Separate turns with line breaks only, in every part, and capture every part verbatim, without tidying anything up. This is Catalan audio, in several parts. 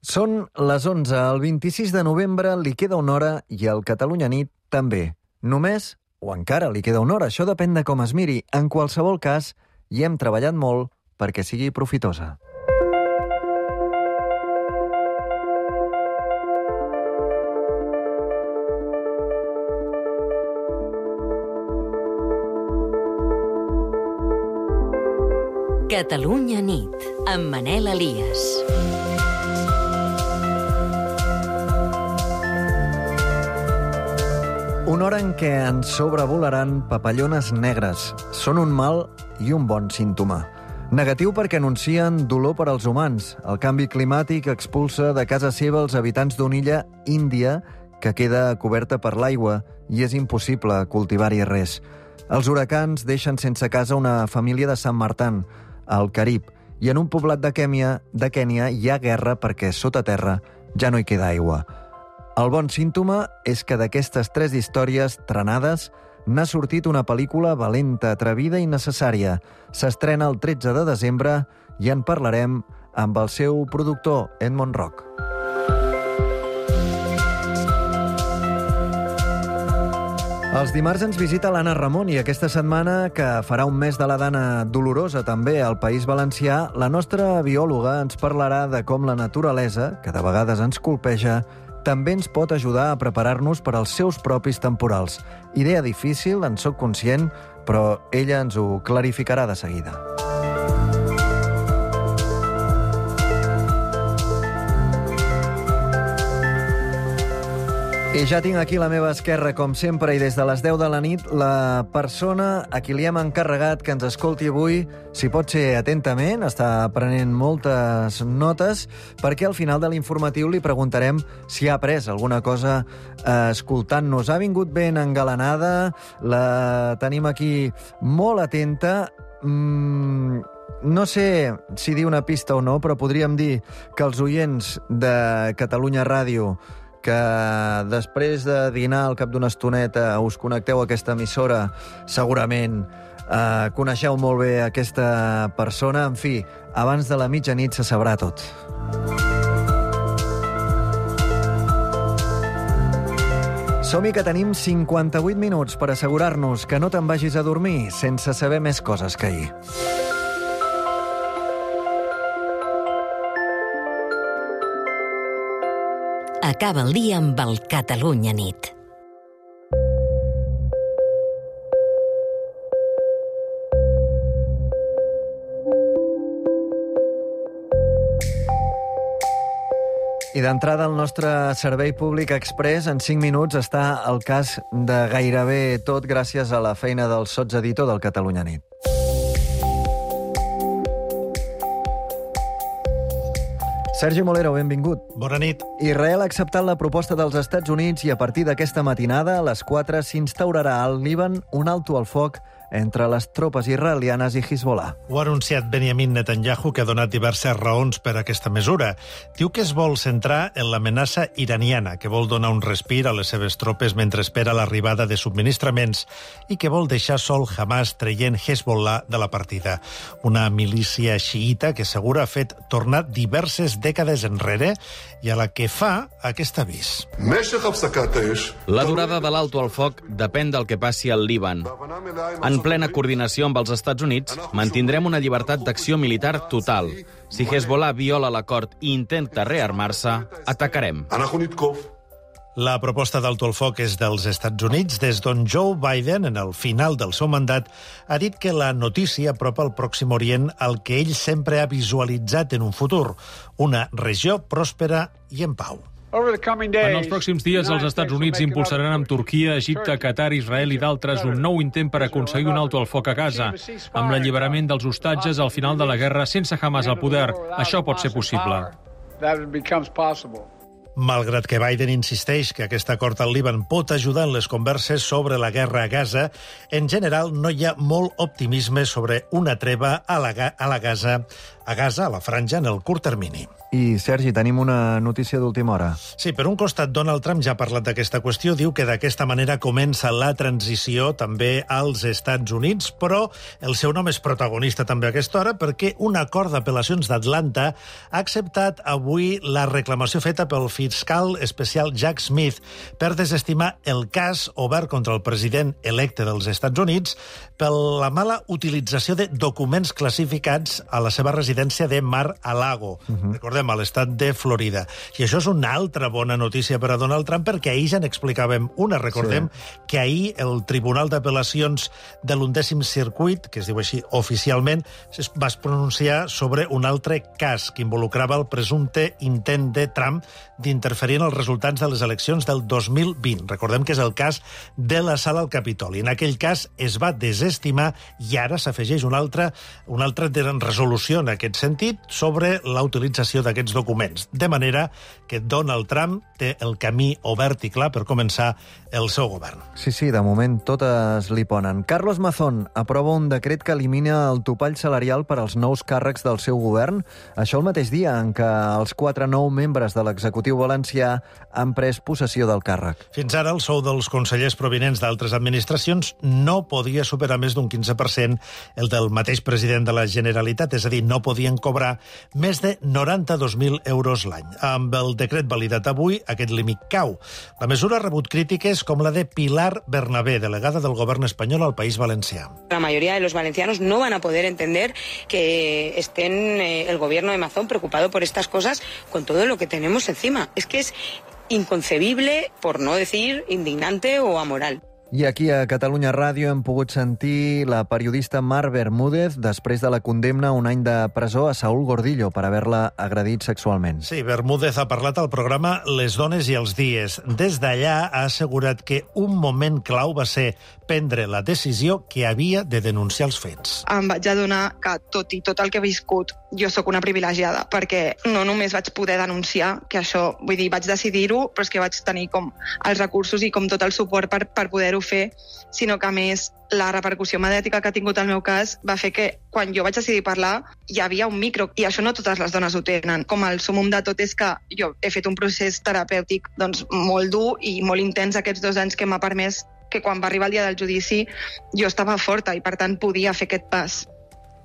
Són les onze, el vint-i-sis de novembre li queda una hora i el Catalunya Nit també. Només, o encara li queda una hora, això depèn de com es miri. En qualsevol cas, hi hem treballat molt perquè sigui profitosa.
Catalunya Nit, amb Manel Elias.
Una hora en què ens sobrevolaran papallones negres. Són un mal i un bon símptoma. Negatiu perquè anuncien dolor per als humans. El canvi climàtic expulsa de casa seva els habitants d'una illa índia que queda coberta per l'aigua i és impossible cultivar-hi res. Els huracans deixen sense casa una família de Sant Martin, al Carib, i en un poblat de Kènia, de Kènia hi ha guerra perquè sota terra ja no hi queda aigua. El bon símptoma és que d'aquestes tres històries trenades n'ha sortit una pel·lícula valenta, atrevida i necessària. S'estrena el tretze de desembre i en parlarem amb el seu productor, Edmond Roch. Els dimarts ens visita l'Anna Ramon i aquesta setmana, que farà un mes de la Dana Dolorosa també al País Valencià, la nostra biòloga ens parlarà de com la naturalesa, que de vegades ens colpeja, també ens pot ajudar a preparar-nos per als seus propis temporals. Idea difícil, en sóc conscient, però ella ens ho clarificarà de seguida. I ja tinc aquí a la meva esquerra, com sempre, i des de les deu de la nit, la persona a qui li hem encarregat que ens escolti avui, si pot ser atentament, està prenent moltes notes, perquè al final de l'informatiu li preguntarem si ha après alguna cosa eh, escoltant-nos. Ha vingut ben engalanada, la tenim aquí molt atenta. Mm, no sé si dir una pista o no, però podríem dir que els oients de Catalunya Ràdio, que després de dinar al cap d'una estoneta us connecteu a aquesta emissora, segurament eh, coneixeu molt bé aquesta persona. En fi, abans de la mitjanit se sabrà tot. Som-hi, que tenim cinquanta-vuit minuts per assegurar-nos que no te'n vagis a dormir sense saber més coses que ahir.
Acaba el dia amb el Catalunya Nit.
I d'entrada al nostre servei públic express, en cinc minuts està el cas de gairebé tot gràcies a la feina del sotseditor del Catalunya Nit. Sergi Molero, benvingut.
Bona nit.
Israel ha acceptat la proposta dels Estats Units i a partir d'aquesta matinada, a les quatre, s'instaurarà al Líban un alto al foc entre les tropes israelianes i Hezbollah.
Ho ha anunciat Benjamin Netanyahu, que ha donat diverses raons per a aquesta mesura. Diu que es vol centrar en l'amenaça iraniana, que vol donar un respir a les seves tropes mentre espera l'arribada de subministraments i que vol deixar sol Hamas traient Hezbollah de la partida. Una milícia xiïta que segura ha fet tornar diverses dècades enrere i a la que fa aquest avís.
La durada de l'alto al foc depèn del que passi al Líban. En plena coordinació amb els Estats Units, mantindrem una llibertat d'acció militar total. Si Hezbollah viola l'acord i intenta rearmar-se, atacarem.
La proposta d'alto al foc és dels Estats Units, des d'on Joe Biden, en el final del seu mandat, ha dit que la notícia apropa al Pròxim Orient al que ell sempre ha visualitzat en un futur, una regió pròspera i en pau.
En els pròxims dies, els Estats Units impulsaran amb Turquia, Egipte, Qatar, Israel i d'altres un nou intent per aconseguir un alto al foc a Gaza, amb l'alliberament dels hostatges al final de la guerra sense Hamas al poder. Això pot ser possible.
Malgrat que Biden insisteix que aquest acord al Líban pot ajudar en les converses sobre la guerra a Gaza, en general no hi ha molt optimisme sobre una treva a la, a la Gaza a Gaza, a la franja, en el curt termini.
I, Sergi, tenim una notícia d'última hora.
Sí, per un costat, Donald Trump ja ha parlat d'aquesta qüestió, diu que d'aquesta manera comença la transició també als Estats Units, però el seu nom és protagonista també a aquesta hora perquè un acord d'apel·lacions d'Atlanta ha acceptat avui la reclamació feta pel fiscal especial Jack Smith per desestimar el cas obert contra el president electe dels Estats Units per la mala utilització de documents classificats a la seva residència de Mar-a-Lago. Uh-huh. Recordem, a l'estat de Florida. I això és una altra bona notícia per a Donald Trump, perquè ahir ja n'explicàvem una. Recordem sí. que ahir el Tribunal d'Apel·lacions de l'undècim circuit, que es diu així oficialment, es va pronunciar sobre un altre cas que involucrava el presumpte intent de Trump d'interferir en els resultats de les eleccions del dos mil vint. Recordem que és el cas de l'assalt al Capitoli. En aquell cas es va desestimar i ara s'afegeix una altra, una altra resolució en aquest sentit sobre la utilització d'aquests documents. De manera que Donald Trump té el camí obert i clar per començar el seu govern.
Sí, sí, de moment totes li ponen. Carlos Mazón aprova un decret que elimina el topall salarial per als nous càrrecs del seu govern. Això el mateix dia en què els quatre nous membres de l'executiu valencià han pres possessió del càrrec.
Fins ara, el sou dels consellers provinents d'altres administracions no podia superar més d'un quinze per cent el del mateix president de la Generalitat, és a dir, no podien cobrar més de noranta-dos mil euros l'any. Amb el decret validat avui, aquest límit cau. La mesura ha rebut crítiques com la de Pilar Bernabé, delegada del govern espanyol al País Valencià.
La mayoría de los valencianos no van a poder entender que estén eh, el gobierno de Mazón preocupado por estas cosas con todo lo que tenemos encima. Es que es inconcebible, por no decir indignante o amoral.
I aquí a Catalunya Ràdio hem pogut sentir la periodista Mar Bermúdez després de la condemna a un any de presó a Saúl Gordillo per haver-la agredit sexualment.
Sí, Bermúdez ha parlat al programa Les dones i els dies. Des d'allà ha assegurat que un moment clau va ser prendre la decisió que havia de denunciar els fets.
Em vaig adonar que, tot i tot el que he viscut, jo sóc una privilegiada, perquè no només vaig poder denunciar, que això, vull dir, vaig decidir-ho, però és que vaig tenir com els recursos i com tot el suport per, per poder-ho fer, sinó que, a més, la repercussió mediàtica que ha tingut el meu cas va fer que, quan jo vaig decidir parlar, hi havia un micro, i això no totes les dones ho tenen. Com el súmmum de tot és que jo he fet un procés terapèutic doncs, molt dur i molt intens aquests dos anys que m'ha permès que quan va arribar el dia del judici jo estava forta i, per tant, podia fer aquest pas.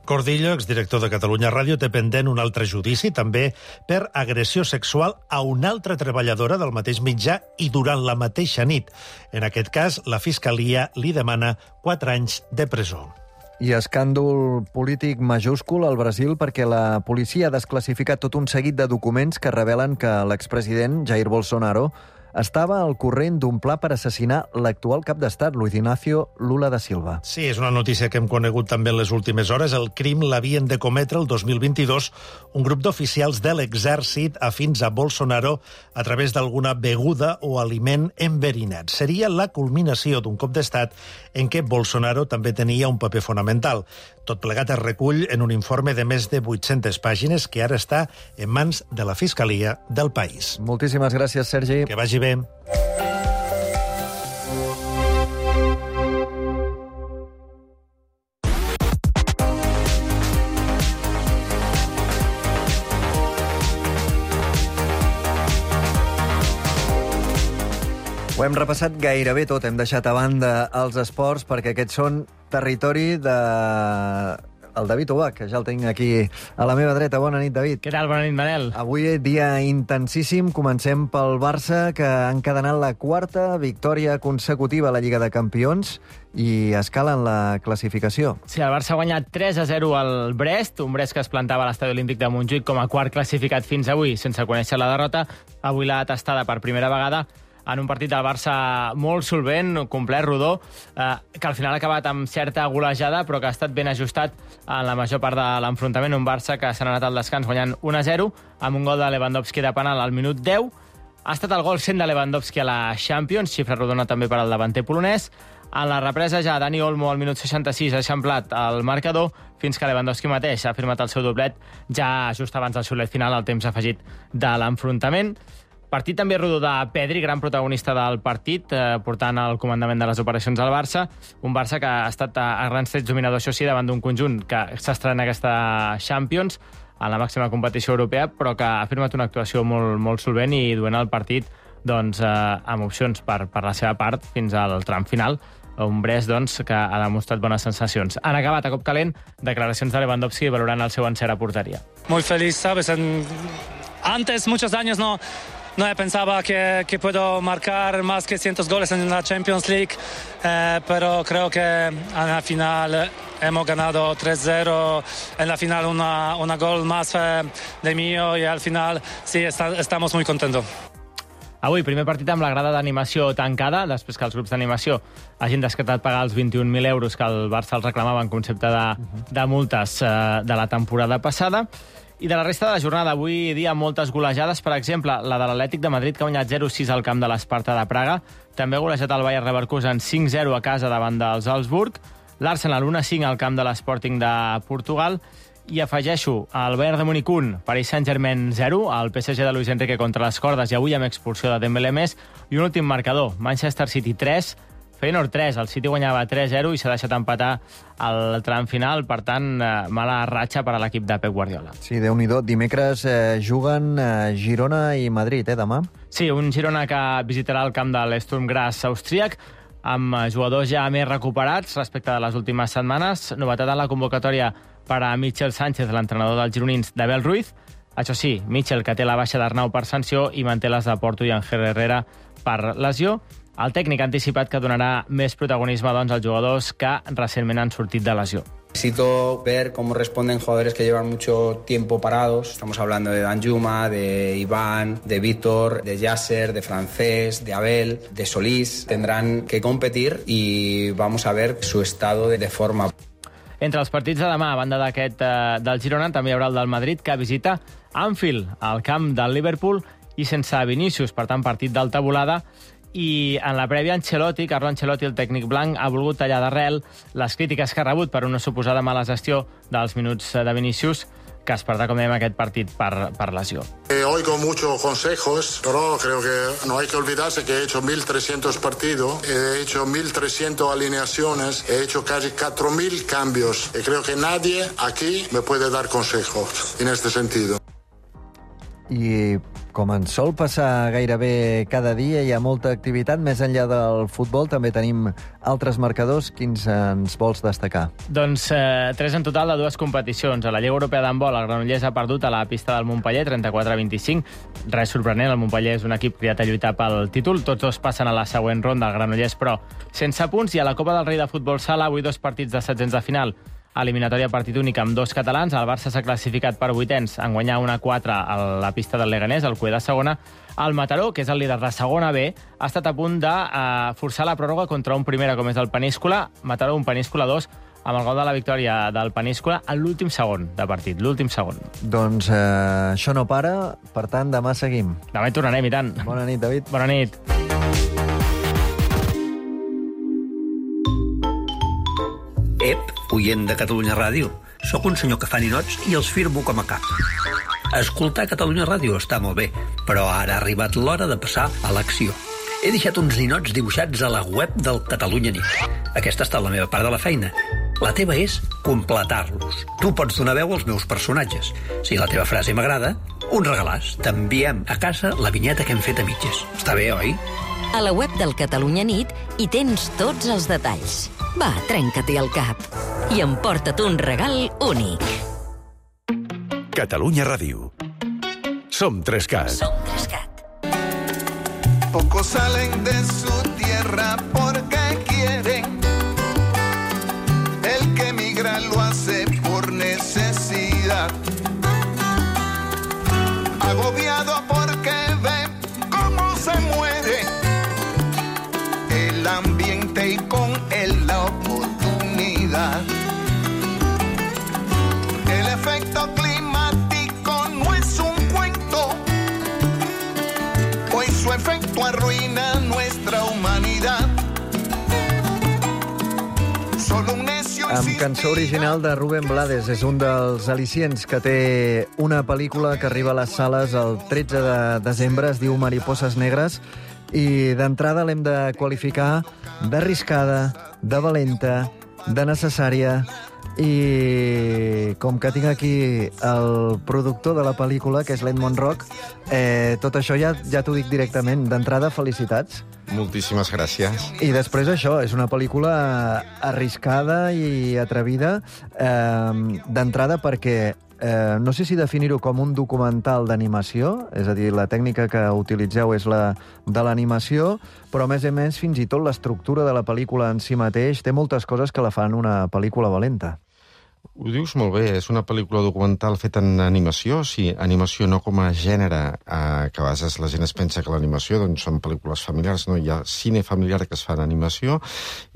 Gordillo, exdirector de Catalunya Ràdio, té pendent un altre judici, també per agressió sexual a una altra treballadora del mateix mitjà i durant la mateixa nit. En aquest cas, la Fiscalia li demana quatre anys de presó.
I escàndol polític majúscul al Brasil perquè la policia ha desclassificat tot un seguit de documents que revelen que l'expresident Jair Bolsonaro estava al corrent d'un pla per assassinar l'actual cap d'estat, Luis Ignacio Lula da Silva.
Sí, és una notícia que hem conegut també en les últimes hores. El crim l'havien de cometre el dos mil vint-i-dos un grup d'oficials de l'exèrcit afins a Bolsonaro a través d'alguna beguda o aliment enverinat. Seria la culminació d'un cop d'estat en què Bolsonaro també tenia un paper fonamental. Tot plegat es recull en un informe de més de vuit-centes pàgines que ara està en mans de la Fiscalia del país.
Moltíssimes gràcies, Sergi.
Que vagi bé.
Ho hem repassat gairebé tot, hem deixat a banda els esports perquè aquests són territori de... el David Ubach, que ja el tinc aquí a la meva dreta. Bona nit, David.
Què tal? Bona nit, Manel.
Avui dia intensíssim. Comencem pel Barça, que ha encadenat la quarta victòria consecutiva a la Lliga de Campions i escala en la classificació.
Sí, el Barça ha guanyat tres a zero al Brest, un Brest que es plantava a l'Estadi Olímpic de Montjuïc com a quart classificat fins avui, sense conèixer la derrota. Avui l'ha tastada per primera vegada en un partit del Barça molt solvent, complet, rodó, eh, que al final ha acabat amb certa golejada, però que ha estat ben ajustat en la major part de l'enfrontament. Un Barça que s'ha anat al descans guanyant un a zero, amb un gol de Lewandowski de penal al minut deu. Ha estat el gol cent de Lewandowski a la Champions, xifra rodona també per al davanter polonès. En la represa ja Dani Olmo al minut seixanta-sis ha eixamplat el marcador fins que Lewandowski mateix ha firmat el seu doblet ja just abans del xiulet final, al temps afegit de l'enfrontament. Partit també rodó de Pedri, gran protagonista del partit, eh, portant el comandament de les operacions al Barça. Un Barça que ha estat a, a grans trets dominador, això sí, davant d'un conjunt que s'estrena aquesta Champions, en la màxima competició europea, però que ha firmat una actuació molt, molt solvent i duent el partit doncs, eh, amb opcions per, per la seva part fins al tram final. Un Brest doncs, que ha demostrat bones sensacions. Han acabat a cop calent declaracions de Lewandowski valorant el seu encert a porteria.
Muy feliz, ¿sabes? En... Antes, muchos años, no, no pensaba que, que puedo marcar más que cientos goles en la Champions League, eh, pero creo que en la final hemos ganado tres cero, en la final una, una gol más eh, de mío y al final sí, está, estamos muy contentos.
Avui, primer partit amb la grada d'animació tancada, després que els grups d'animació hagin descartat pagar els vint-i-un mil euros que el Barça els reclamava en concepte de, de multes eh, de la temporada passada. I de la resta de la jornada, avui dia moltes golejades, per exemple, la de l'Atlètic de Madrid, que ha guanyat zero sis al camp de l'Esparta de Praga, també ha golejat el Bayer Leverkusen cinc zero a casa davant dels Salzburg, l'Arsenal un a cinc al camp de l'Sporting de Portugal, i afegeixo el Bayern de Múnich un, Paris Saint-Germain zero, el P S G de Luis Enrique contra les cordes i avui amb expulsió de Dembélé més, i un últim marcador, Manchester City tres, Feyenoord tres, el City guanyava tres zero i s'ha deixat empatar al tram final, per tant, eh, mala ratxa per a l'equip de Pep Guardiola.
Sí, Déu-n'hi-do. Dimecres eh, juguen eh, Girona i Madrid, eh, demà?
Sí, un Girona que visitarà el camp de l'Sturm Graz austríac, amb jugadors ja més recuperats respecte de les últimes setmanes. Novetat en la convocatòria per a Michel Sánchez, l'entrenador dels gironins, d'Abel Ruiz. Això sí, Michel, que té la baixa d'Arnau per sanció, i manté les de Porto i Ángel Herrera per lesió. El tècnic ha anticipat que donarà més protagonisme doncs, als jugadors que recentment han sortit de lesió.
Necesito ver cómo responden jugadores que llevan mucho tiempo parados. Estamos hablando de Danjuma, de Iván, de Víctor, de Yasser, de Francés, de Abel, de Solís. Tendrán que competir y vamos a ver su estado de forma.
Entre els partits de demà, a banda d'aquest eh, del Girona, també hi haurà el del Madrid, que visita Anfield, al camp del Liverpool, i sense Vinícius, per tant, partit d'alta volada. I en la prèvia, Ancelotti, Carlo Ancelotti, el tècnic blanc, ha volgut tallar d'arrel les crítiques que ha rebut per una suposada mala gestió dels minuts de Vinícius, que es perdrà, com dèiem, aquest partit per, per lesió.
Eh, oigo muchos consejos, pero creo que no hay que olvidarse que he hecho mil trescientos partidos, he hecho mil trescientas alineaciones, he hecho casi cuatro mil cambios y creo que nadie aquí me puede dar consejos en este sentido.
I com ens sol passar gairebé cada dia, hi ha molta activitat. Més enllà del futbol també tenim altres marcadors. Quins ens vols destacar?
Doncs eh, tres en total de dues competicions. A la Lliga Europea d'handbol, el Granollers ha perdut a la pista del Montpeller, trenta-quatre a vint-i-cinc. Res sorprenent, el Montpeller és un equip criat a lluitar pel títol. Tots dos passen a la següent ronda, el Granollers, però sense punts. I a la Copa del Rei de Futbol Sala, avui dos partits de setzents de final. Eliminatòria partit únic amb dos catalans. El Barça s'ha classificat per vuitens en guanyar una quatre a la pista del Leganés, el Cué de segona. El Mataró, que és el líder de segona B, ha estat a punt de uh, forçar la pròrroga contra un primera com és el Peníscola. Mataró un, Peníscola dos, amb el gol de la victòria del Peníscola en l'últim segon de partit, l'últim segon.
Doncs eh, això no para, per tant, demà seguim.
Demà hi tornarem, i tant.
Bona nit, David.
Bona nit.
Ep, oient de Catalunya Ràdio. Soc un senyor que fa ninots i els firmo com a cap. Escoltar Catalunya Ràdio està molt bé, però ara ha arribat l'hora de passar a l'acció. He deixat uns ninots dibuixats a la web del Catalunya Nit. Aquesta ha estat la meva part de la feina. La teva és completar-los. Tu pots donar veu als meus personatges. Si la teva frase m'agrada, un regalàs. T'enviem a casa la vinyeta que hem fet a mitges. Està bé, oi?
A la web del Catalunya Nit hi tens tots els detalls. Va, trenca-t'hi el cap i emporta't un regal únic.
Catalunya Ràdio. Som Trescat.
Som Trescat.
Pocos salen de su tierra porque quieren. El que emigra lo hace por necesidad. Agobiado porque ve cómo se muere el ambiente y con él la oportunidad. El efecto climático no es un cuento, hoy su efecto arruina nuestra humanidad. Solo un necio
Amb cançó original de Rubén Blades. És un dels al·licients que té una pel·lícula que arriba a les sales el tretze de desembre. Es diu Mariposas Negres. I d'entrada l'hem de qualificar d'arriscada, de valenta, de necessària, i com que tinc aquí el productor de la pel·lícula, que és l'Edmond Rock, eh, tot això ja, ja t'ho dic directament. D'entrada, felicitats.
Moltíssimes gràcies.
I després això, és una pel·lícula arriscada i atrevida, eh, d'entrada perquè eh, no sé si definir-ho com un documental d'animació, és a dir, la tècnica que utilitzeu és la de l'animació, però a més a més fins i tot l'estructura de la pel·lícula en si mateix té moltes coses que la fan una pel·lícula valenta.
Ho dius molt bé, és una pel·lícula documental feta en animació, sí, animació no com a gènere, eh, que a vegades la gent es pensa que l'animació doncs, són pel·lícules familiars, no, hi ha cine familiar que es fa en animació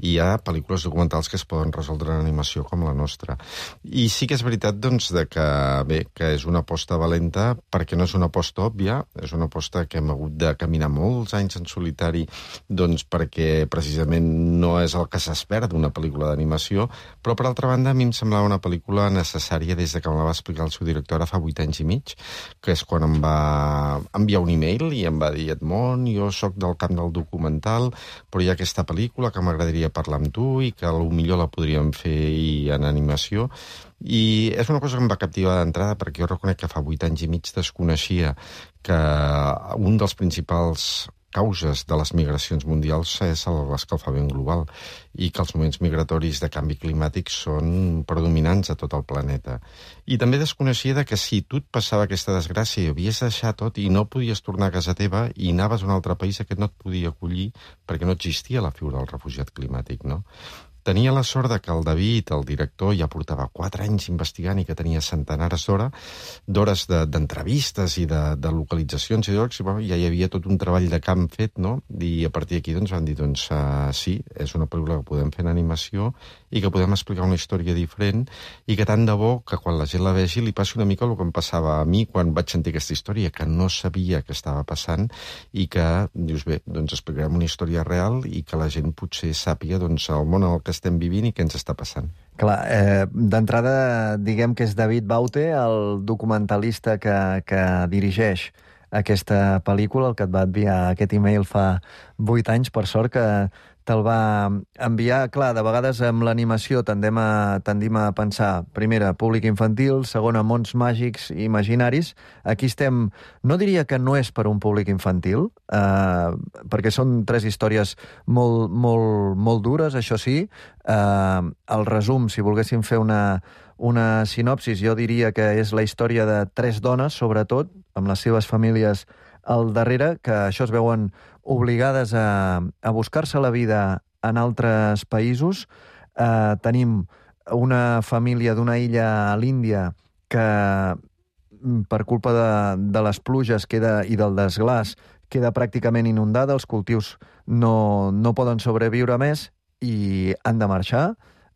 i hi ha pel·lícules documentals que es poden resoldre en animació com la nostra. I sí que és veritat doncs, de que, bé, que és una aposta valenta perquè no és una aposta òbvia, és una aposta que hem hagut de caminar molts anys en solitari doncs, perquè precisament no és el que s'espera d'una pel·lícula d'animació, però per altra banda a mi em semblava una pel·lícula necessària des de que me la va explicar el seu director ara fa vuit anys i mig, que és quan em va enviar un e-mail i em va dir Edmond, jo sóc del camp del documental, però hi ha aquesta pel·lícula que m'agradaria parlar amb tu i que potser la podríem fer en animació. I és una cosa que em va captivar d'entrada perquè jo reconec que fa vuit anys i mig desconeixia que un dels principals causes de les migracions mundials és l'escalfament global i que els moments migratoris de canvi climàtic són predominants a tot el planeta. I també desconeixia que si tu et passava aquesta desgràcia i havies de deixar tot i no podies tornar a casa teva i anaves a un altre país, aquest no et podia acollir perquè no existia la figura del refugiat climàtic, no? Tenia la sort de que el David, el director, ja portava quatre anys investigant i que tenia centenars d'hores d'entrevistes i de, de localitzacions i llocs, i bueno, ja hi havia tot un treball de camp fet, no? I a partir d'aquí doncs, van dir, doncs, uh, sí, és una pel·lícula que podem fer en animació i que podem explicar una història diferent i que tant de bo que quan la gent la vegi li passi una mica el que em passava a mi quan vaig sentir aquesta història, que no sabia què estava passant i que, dius, bé, doncs explicarem una història real i que la gent potser sàpiga doncs, el món en el que estem vivint i què ens està passant.
Clar, eh, d'entrada diguem que és David Baute, el documentalista que, que dirigeix aquesta pel·lícula, el que et va enviar aquest e-mail fa vuit anys, per sort que te'l va enviar. Clar, de vegades amb l'animació tendim a, tendim a pensar, primera, públic infantil, segona, mons màgics i imaginaris. Aquí estem, no diria que no és per un públic infantil, eh, perquè són tres històries molt, molt, molt dures, això sí. Eh, el resum, si volguéssim fer una, una sinopsis, jo diria que és la història de tres dones, sobretot, amb les seves famílies al darrere, que això es veuen obligades a, a buscar-se la vida en altres països. Eh, tenim una família d'una illa a l'Índia que, per culpa de, de les pluges queda, i del desglàs, queda pràcticament inundada, els cultius no, no poden sobreviure més i han de marxar.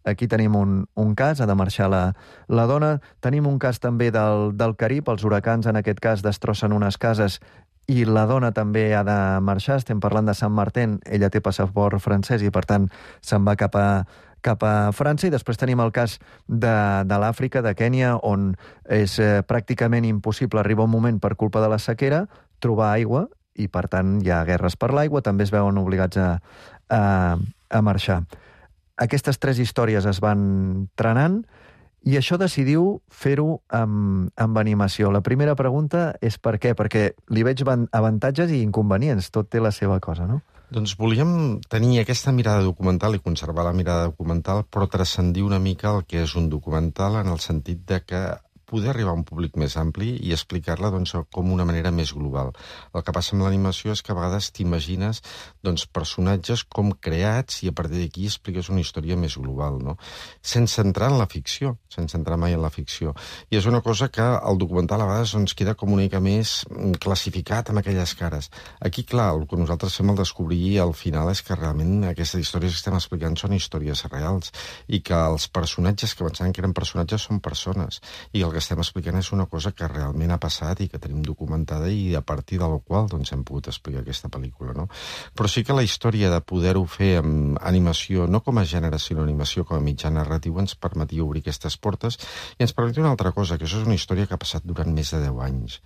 Aquí tenim un, un cas, ha de marxar la, la dona. Tenim un cas també del, del Carib, els huracans en aquest cas destrossen unes cases i la dona també ha de marxar. Estem parlant de Sant Martin, ella té passaport francès i per tant se'n va cap a, cap a França. I després tenim el cas de, de l'Àfrica, de Kènia, on és eh, pràcticament impossible arribar un moment per culpa de la sequera, trobar aigua i per tant hi ha guerres per l'aigua, també es veuen obligats a, a, a marxar. Aquestes tres històries es van trenant i això decidiu fer-ho amb, amb animació. La primera pregunta és per què? Perquè li veig avantatges i inconvenients. Tot té la seva cosa, no?
Doncs volíem tenir aquesta mirada documental i conservar la mirada documental, però transcendir una mica el que és un documental en el sentit de que poder arribar a un públic més ampli i explicar-la doncs, com una manera més global. El que passa amb l'animació és que a vegades t'imagines doncs, personatges com creats i a partir d'aquí expliques una història més global, no? Sense entrar en la ficció, sense entrar mai en la ficció. I és una cosa que el documental a vegades doncs, queda com una mica més classificat amb aquelles cares. Aquí, clar, el que nosaltres fem al descobrir al final és que realment aquestes històries que estem explicant són històries reals i que els personatges que pensaven que eren personatges són persones i el que estem explicant és una cosa que realment ha passat i que tenim documentada i a partir de la qual doncs, hem pogut explicar aquesta pel·lícula, no? Però sí que la història de poder-ho fer amb animació, no com a gènere, sinó animació com a mitjà narratiu, ens permetia obrir aquestes portes i ens permetia una altra cosa, que això és una història que ha passat durant més de deu anys.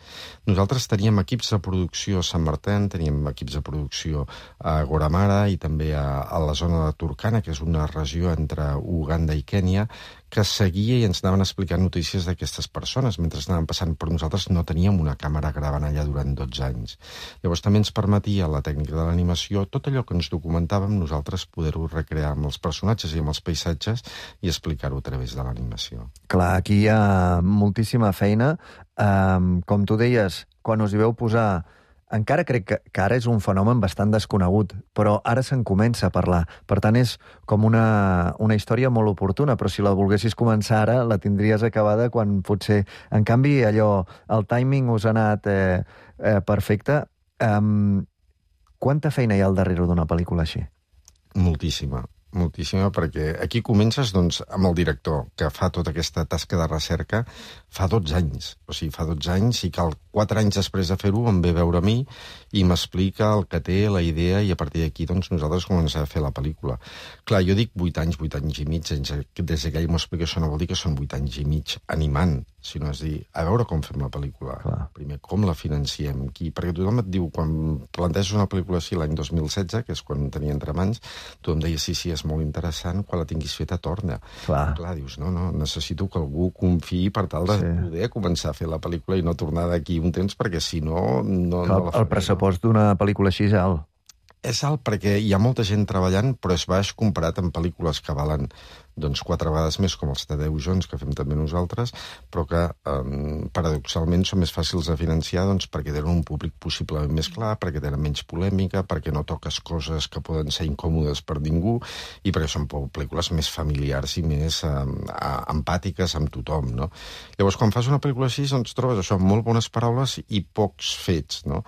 Nosaltres teníem equips de producció a Sant Martin, teníem equips de producció a Goramara i també a, a la zona de Turkana, que és una regió entre Uganda i Kènia, que seguia i ens anaven explicant notícies d'aquestes persones mentre anaven passant, però nosaltres no teníem una càmera gravant allà durant dotze anys. Llavors també ens permetia la tècnica de l'animació, tot allò que ens documentàvem, nosaltres poder-ho recrear amb els personatges i amb els paisatges i explicar-ho a través de l'animació.
Clar, aquí hi ha moltíssima feina. Um, com tu deies, quan us hi veu posar... Encara crec que, que ara és un fenomen bastant desconegut, però ara se'n comença a parlar. Per tant, és com una, una història molt oportuna, però si la volguessis començar ara, la tindries acabada quan potser... En canvi, allò, el timing us ha anat eh, eh, perfecte. Um, quanta feina hi ha al darrere d'una pel·lícula així?
Moltíssima. Moltíssima, perquè aquí comences doncs, amb el director, que fa tota aquesta tasca de recerca fa dotze anys. O sigui, fa dotze anys i cal quatre anys després de fer-ho em ve a veure a mi i m'explica el que té, la idea, i a partir d'aquí doncs, nosaltres comencem a fer la pel·lícula. Clar, jo dic vuit anys, vuit anys i mig, des que ell m'ho explica això no vol dir que són vuit anys i mig animant, sinó és dir, a veure com fem la pel·lícula. Clar. Primer, com la financiem, qui... perquè tothom et diu, quan planteges una pel·lícula així l'any dos mil setze, que és quan tenia entre mans, tu em deies, sí, sí, és molt interessant, quan la tinguis feta torna. Clar. Clar, dius, no, no, necessito que algú confiï per tal de sí. poder començar a fer la pel·lícula i no tornar d'aquí un temps, perquè si no... no,
Clar,
no la faré,
el pressupost no? d'una pel·lícula així és alt.
És alt perquè hi ha molta gent treballant, però és baix comparat amb pel·lícules que valen doncs quatre vegades més, com els Tadeu Jones, que fem també nosaltres, però que eh, paradoxalment són més fàcils de financiar doncs, perquè tenen un públic possiblement més clar, perquè tenen menys polèmica, perquè no toques coses que poden ser incòmodes per ningú, i perquè són pel·lícules més familiars i més eh, empàtiques amb tothom, no? Llavors, quan fas una pel·lícula així, doncs trobes això, molt bones paraules i pocs fets, no?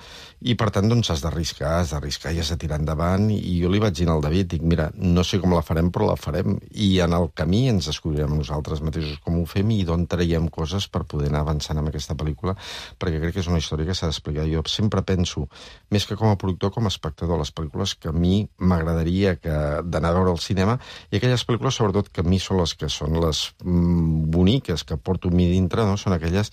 I per tant, doncs has d'arriscar, has d'arriscar i has de tirar endavant, i jo li vaig dir al David, dic, mira, no sé com la farem, però la farem, i en el camí ens descobrirem nosaltres mateixos com ho fem i d'on traiem coses per poder anar avançant amb aquesta pel·lícula, perquè crec que és una història que s'ha d'explicar. Jo sempre penso, més que com a productor, com a espectador, les pel·lícules que a mi m'agradaria d'anar a veure al cinema, i aquelles pel·lícules, sobretot, que a mi són les que són les mm, boniques, que porto a mi dintre, no? Són aquelles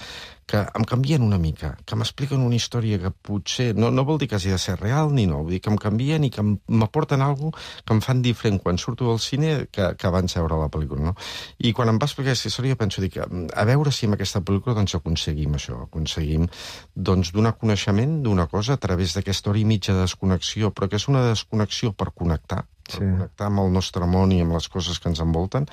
que em canvien una mica, que m'expliquen una història que potser, no, no vol dir que hagi de ser real ni no, vull dir que em canvien i que m'aporten alguna cosa que em fan diferent quan surto del cine que, que abans de veure la pel·lícula, no? I quan em va explicar aquesta història penso, dic, a veure si amb aquesta pel·lícula doncs aconseguim això, aconseguim doncs donar coneixement d'una cosa a través d'aquesta hora i mitja de desconnexió, però que és una desconnexió per connectar, per sí. connectar amb el nostre món i amb les coses que ens envolten,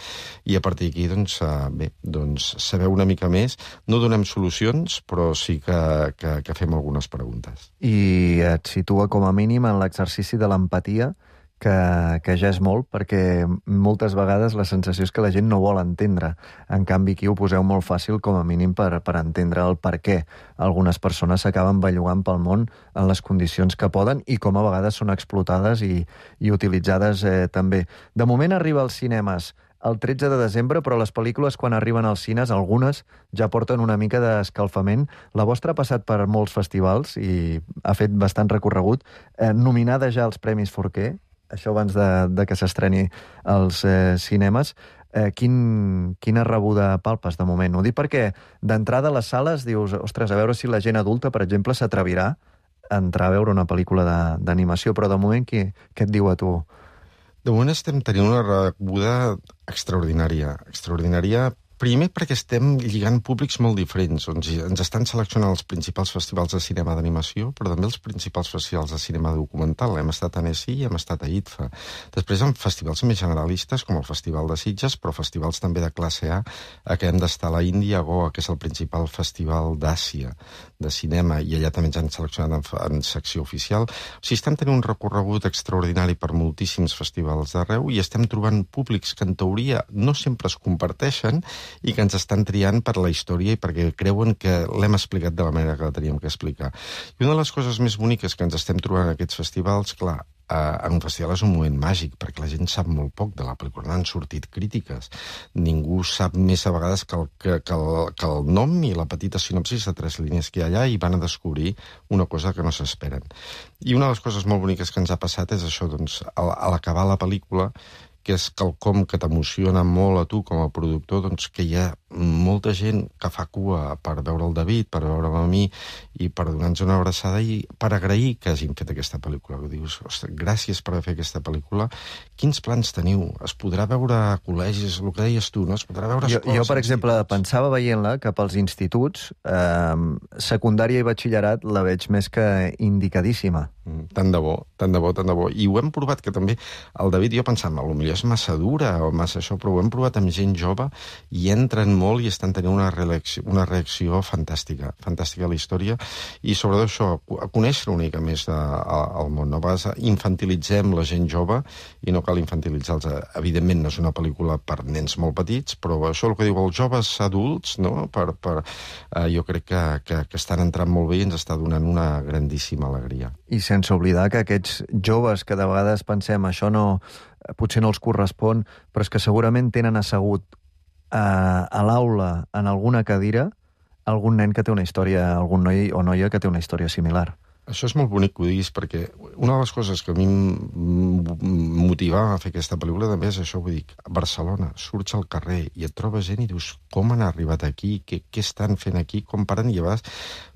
i a partir d'aquí, doncs, bé, doncs, saber una mica més. No donem solucions, però sí que, que, que fem algunes preguntes.
I et situa com a mínim en l'exercici de l'empatia, que, que ja és molt, perquè moltes vegades la sensació és que la gent no vol entendre. En canvi, aquí ho poseu molt fàcil, com a mínim, per, per entendre el per què algunes persones s'acaben bellugant pel món en les condicions que poden i com a vegades són explotades i, i utilitzades eh, també. De moment arriba als cinemes el tretze de desembre, però les pel·lícules, quan arriben als cines, algunes ja porten una mica d'escalfament. La vostra ha passat per molts festivals i ha fet bastant recorregut, eh, nominada ja als Premis Forquer, això abans de, de que s'estreni als eh, cinemes. Eh, quin, quina rebuda palpes de moment? Ho dic perquè d'entrada a les sales dius, ostres, a veure si la gent adulta, per exemple, s'atrevirà a entrar a veure una pel·lícula d'animació, però de moment què, què et diu a tu?
De moment estem tenint una rebuda extraordinària, extraordinària. Primer perquè estem lligant públics molt diferents. Ens, ens estan seleccionant els principals festivals de cinema d'animació, però també els principals festivals de cinema documental. Hem estat a Annecy i hem estat a I T F A. Després en festivals més generalistes, com el Festival de Sitges, però festivals també de classe A. Acabem d'estar a la Índia, a Goa, que és el principal festival d'Àsia de cinema, i allà també ens han seleccionat en, en secció oficial. O sigui, estem tenint un recorregut extraordinari per moltíssims festivals d'arreu i estem trobant públics que en teoria no sempre es comparteixen i que ens estan triant per la història i perquè creuen que l'hem explicat de la manera que la teníem que explicar. I una de les coses més boniques que ens estem trobant en aquests festivals, clar, eh, en un festival és un moment màgic, perquè la gent sap molt poc de la pel·lícula, n'han sortit crítiques. Ningú sap més a vegades que el, que, que, el, que el nom i la petita sinopsis de tres línies que hi ha allà, i van a descobrir una cosa que no s'esperen. I una de les coses molt boniques que ens ha passat és això, doncs, a, a l'acabar la pel·lícula, que és quelcom que t'emociona molt a tu com a productor, doncs que hi ha molta gent que fa cua per veure el David, per veure'm a mi i per donar-nos una abraçada i per agrair que hagin fet aquesta pel·lícula. Que dius, ostres, gràcies per haver fet aquesta pel·lícula. Quins plans teniu? Es podrà veure a col·legis, el que deies tu, no? Es podrà veure a
jo,
escoles...
Jo, per exemple, instituts. Pensava veient-la que pels instituts, eh, secundària i batxillerat, la veig més que indicadíssima.
Mm, tant de bo, tant de bo, tant de bo. I ho hem provat, que també el David, jo pensava, potser és massa dura o massa això, però ho hem provat amb gent jove i entren molt i estan tenint una reacció, una reacció fantàstica, fantàstica a la història, i sobretot això, a conèixer una mica més de, a, al món. No? A vegades infantilitzem la gent jove i no cal infantilitzar-los. Evidentment, no és una pel·lícula per nens molt petits, però això el que diu els joves adults, no? per, per, eh, jo crec que, que, que estan entrant molt bé i ens està donant una grandíssima alegria.
I sense oblidar que aquests joves que de vegades pensem això no, potser no els correspon, però és que segurament tenen assegut a, a l'aula en alguna cadira algun nen que té una història, algun noi o noia que té una història similar.
Això és molt bonic que ho diguis, perquè una de les coses que a mi em motivava a fer aquesta pel·lícula també és això, vull dir, a Barcelona, surts al carrer i et trobes gent i dius, com han arribat aquí, què, què estan fent aquí, com paren, i a vegades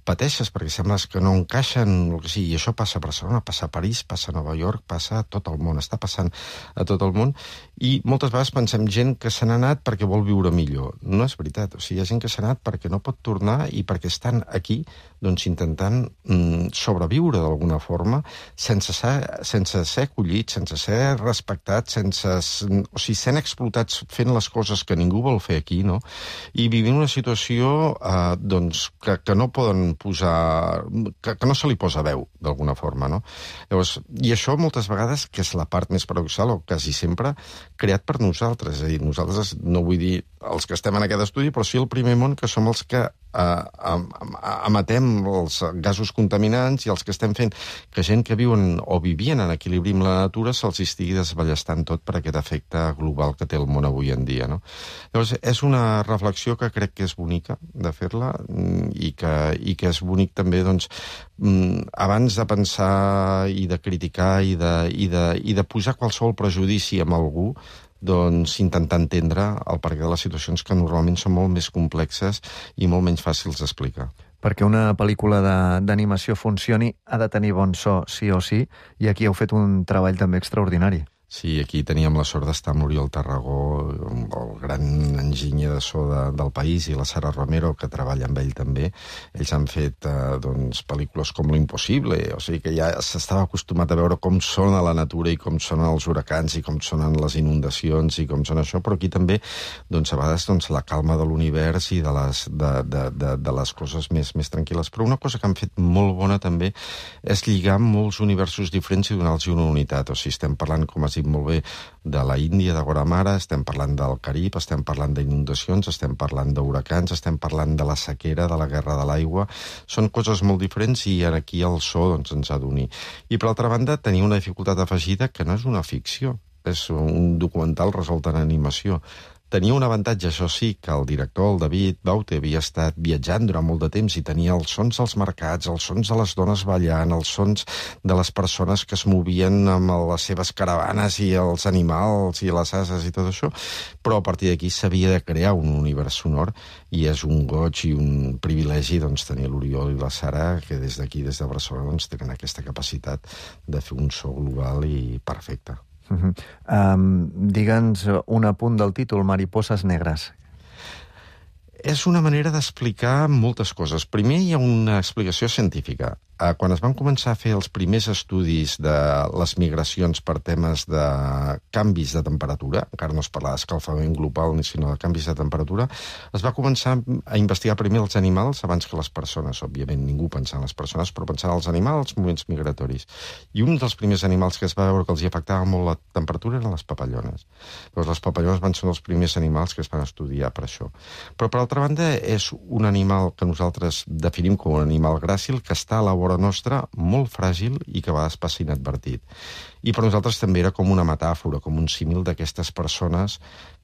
pateixes perquè sembles que no encaixen, el que sigui, i això passa a Barcelona, passa a París, passa a Nova York, passa a tot el món, està passant a tot el món, i moltes vegades pensem gent que se n'ha anat perquè vol viure millor. No és veritat, o sigui, hi ha gent que s'ha anat perquè no pot tornar i perquè estan aquí, doncs, intentant mm, sobreviure d'alguna forma, sense ser, sense ser acollits, sense ser respectats, sense, o sigui, sent explotats fent les coses que ningú vol fer aquí, no? I vivint una situació, eh, doncs, que, que no poden posar... Que, que no se li posa veu, d'alguna forma, no? Llavors, i això moltes vegades, que és la part més paradoxal, o quasi sempre, creat per nosaltres. És a dir, nosaltres, no vull dir els que estem en aquest estudi, però sí el primer món, que som els que eh, emetem els gasos contaminants i els que estem fent que gent que viuen o vivien en equilibri amb la natura se'ls estigui desballestant tot per aquest efecte global que té el món avui en dia, no? Llavors, és una reflexió que crec que és bonica de fer-la i que, i que és bonic també, doncs, abans de pensar i de criticar i de, i de, i de posar qualsevol prejudici amb algú, doncs intentar entendre el perquè de les situacions que normalment són molt més complexes i molt menys fàcils d'explicar.
Perquè una pel·lícula d'animació funcioni ha de tenir bon so, sí o sí, i aquí heu fet un treball també extraordinari.
Sí, aquí teníem la sort d'estar amb l'Oriol Tarragó, el gran enginyer de so de, del país, i la Sara Romero, que treballa amb ell també. Ells han fet eh, doncs, pel·lícules com Lo Impossible, o sigui que ja s'estava acostumat a veure com sona la natura i com sonen els huracans i com sonen les inundacions i com sona això, però aquí també, doncs, a vegades, doncs, la calma de l'univers i de les, de, de, de, de les coses més, més tranquil·les. Però una cosa que han fet molt bona també és lligar molts universos diferents i donar-los una unitat. O sigui, estem parlant, com has dit molt bé, de la Índia, de Guatemala, estem parlant del Carib, estem parlant d'inundacions, estem parlant d'huracans, estem parlant de la sequera, de la guerra de l'aigua. Són coses molt diferents i aquí el so, doncs, ens ha d'unir. I, per altra banda, tenia una dificultat afegida que no és una ficció, és un documental resolt en animació. Tenia un avantatge, això sí, que el director, el David Baute, havia estat viatjant durant molt de temps i tenia els sons dels mercats, els sons de les dones ballant, els sons de les persones que es movien amb les seves caravanes i els animals i les ases i tot això, però a partir d'aquí s'havia de crear un univers sonor i és un goig i un privilegi, doncs, tenir l'Oriol i la Sara, que des d'aquí, des de Barcelona, doncs, tenen aquesta capacitat de fer un so global i perfecte.
Uh -huh. um, Digue'ns un apunt del títol, Mariposas negras.
És una manera d'explicar moltes coses. Primer hi ha una explicació científica. Quan es van començar a fer els primers estudis de les migracions per temes de canvis de temperatura, encara no es parla d'escalfament global, sinó de canvis de temperatura, es va començar a investigar primer els animals abans que les persones. Òbviament ningú pensava en les persones, però pensava en els animals, els moviments migratoris. I un dels primers animals que es va veure que els hi afectava molt la temperatura eren les papallones. Llavors, les papallones van ser els primers animals que es van estudiar per això. Però, per altra banda, és un animal que nosaltres definim com un animal gràcil que està a la vora nostra, molt fràgil i que a vegades passa inadvertit. I per nosaltres també era com una metàfora, com un símil d'aquestes persones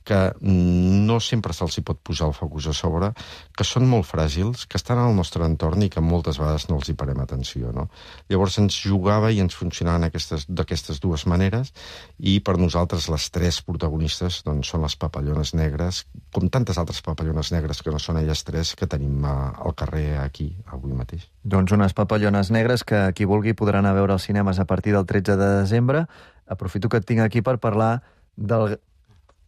que no sempre se'ls hi pot posar el focus a sobre, que són molt fràgils, que estan al nostre entorn i que moltes vegades no els hi parem atenció, no? Llavors ens jugava i ens funcionaven d'aquestes dues maneres, i per nosaltres les tres protagonistes doncs, són les papallones negres, com tantes altres papallones negres que no són elles tres, que tenim al carrer aquí, avui mateix.
Doncs unes papallones negres que qui vulgui podrà anar a veure als cinemes a partir del tretze de desembre. Aprofito que et tinc aquí per parlar del...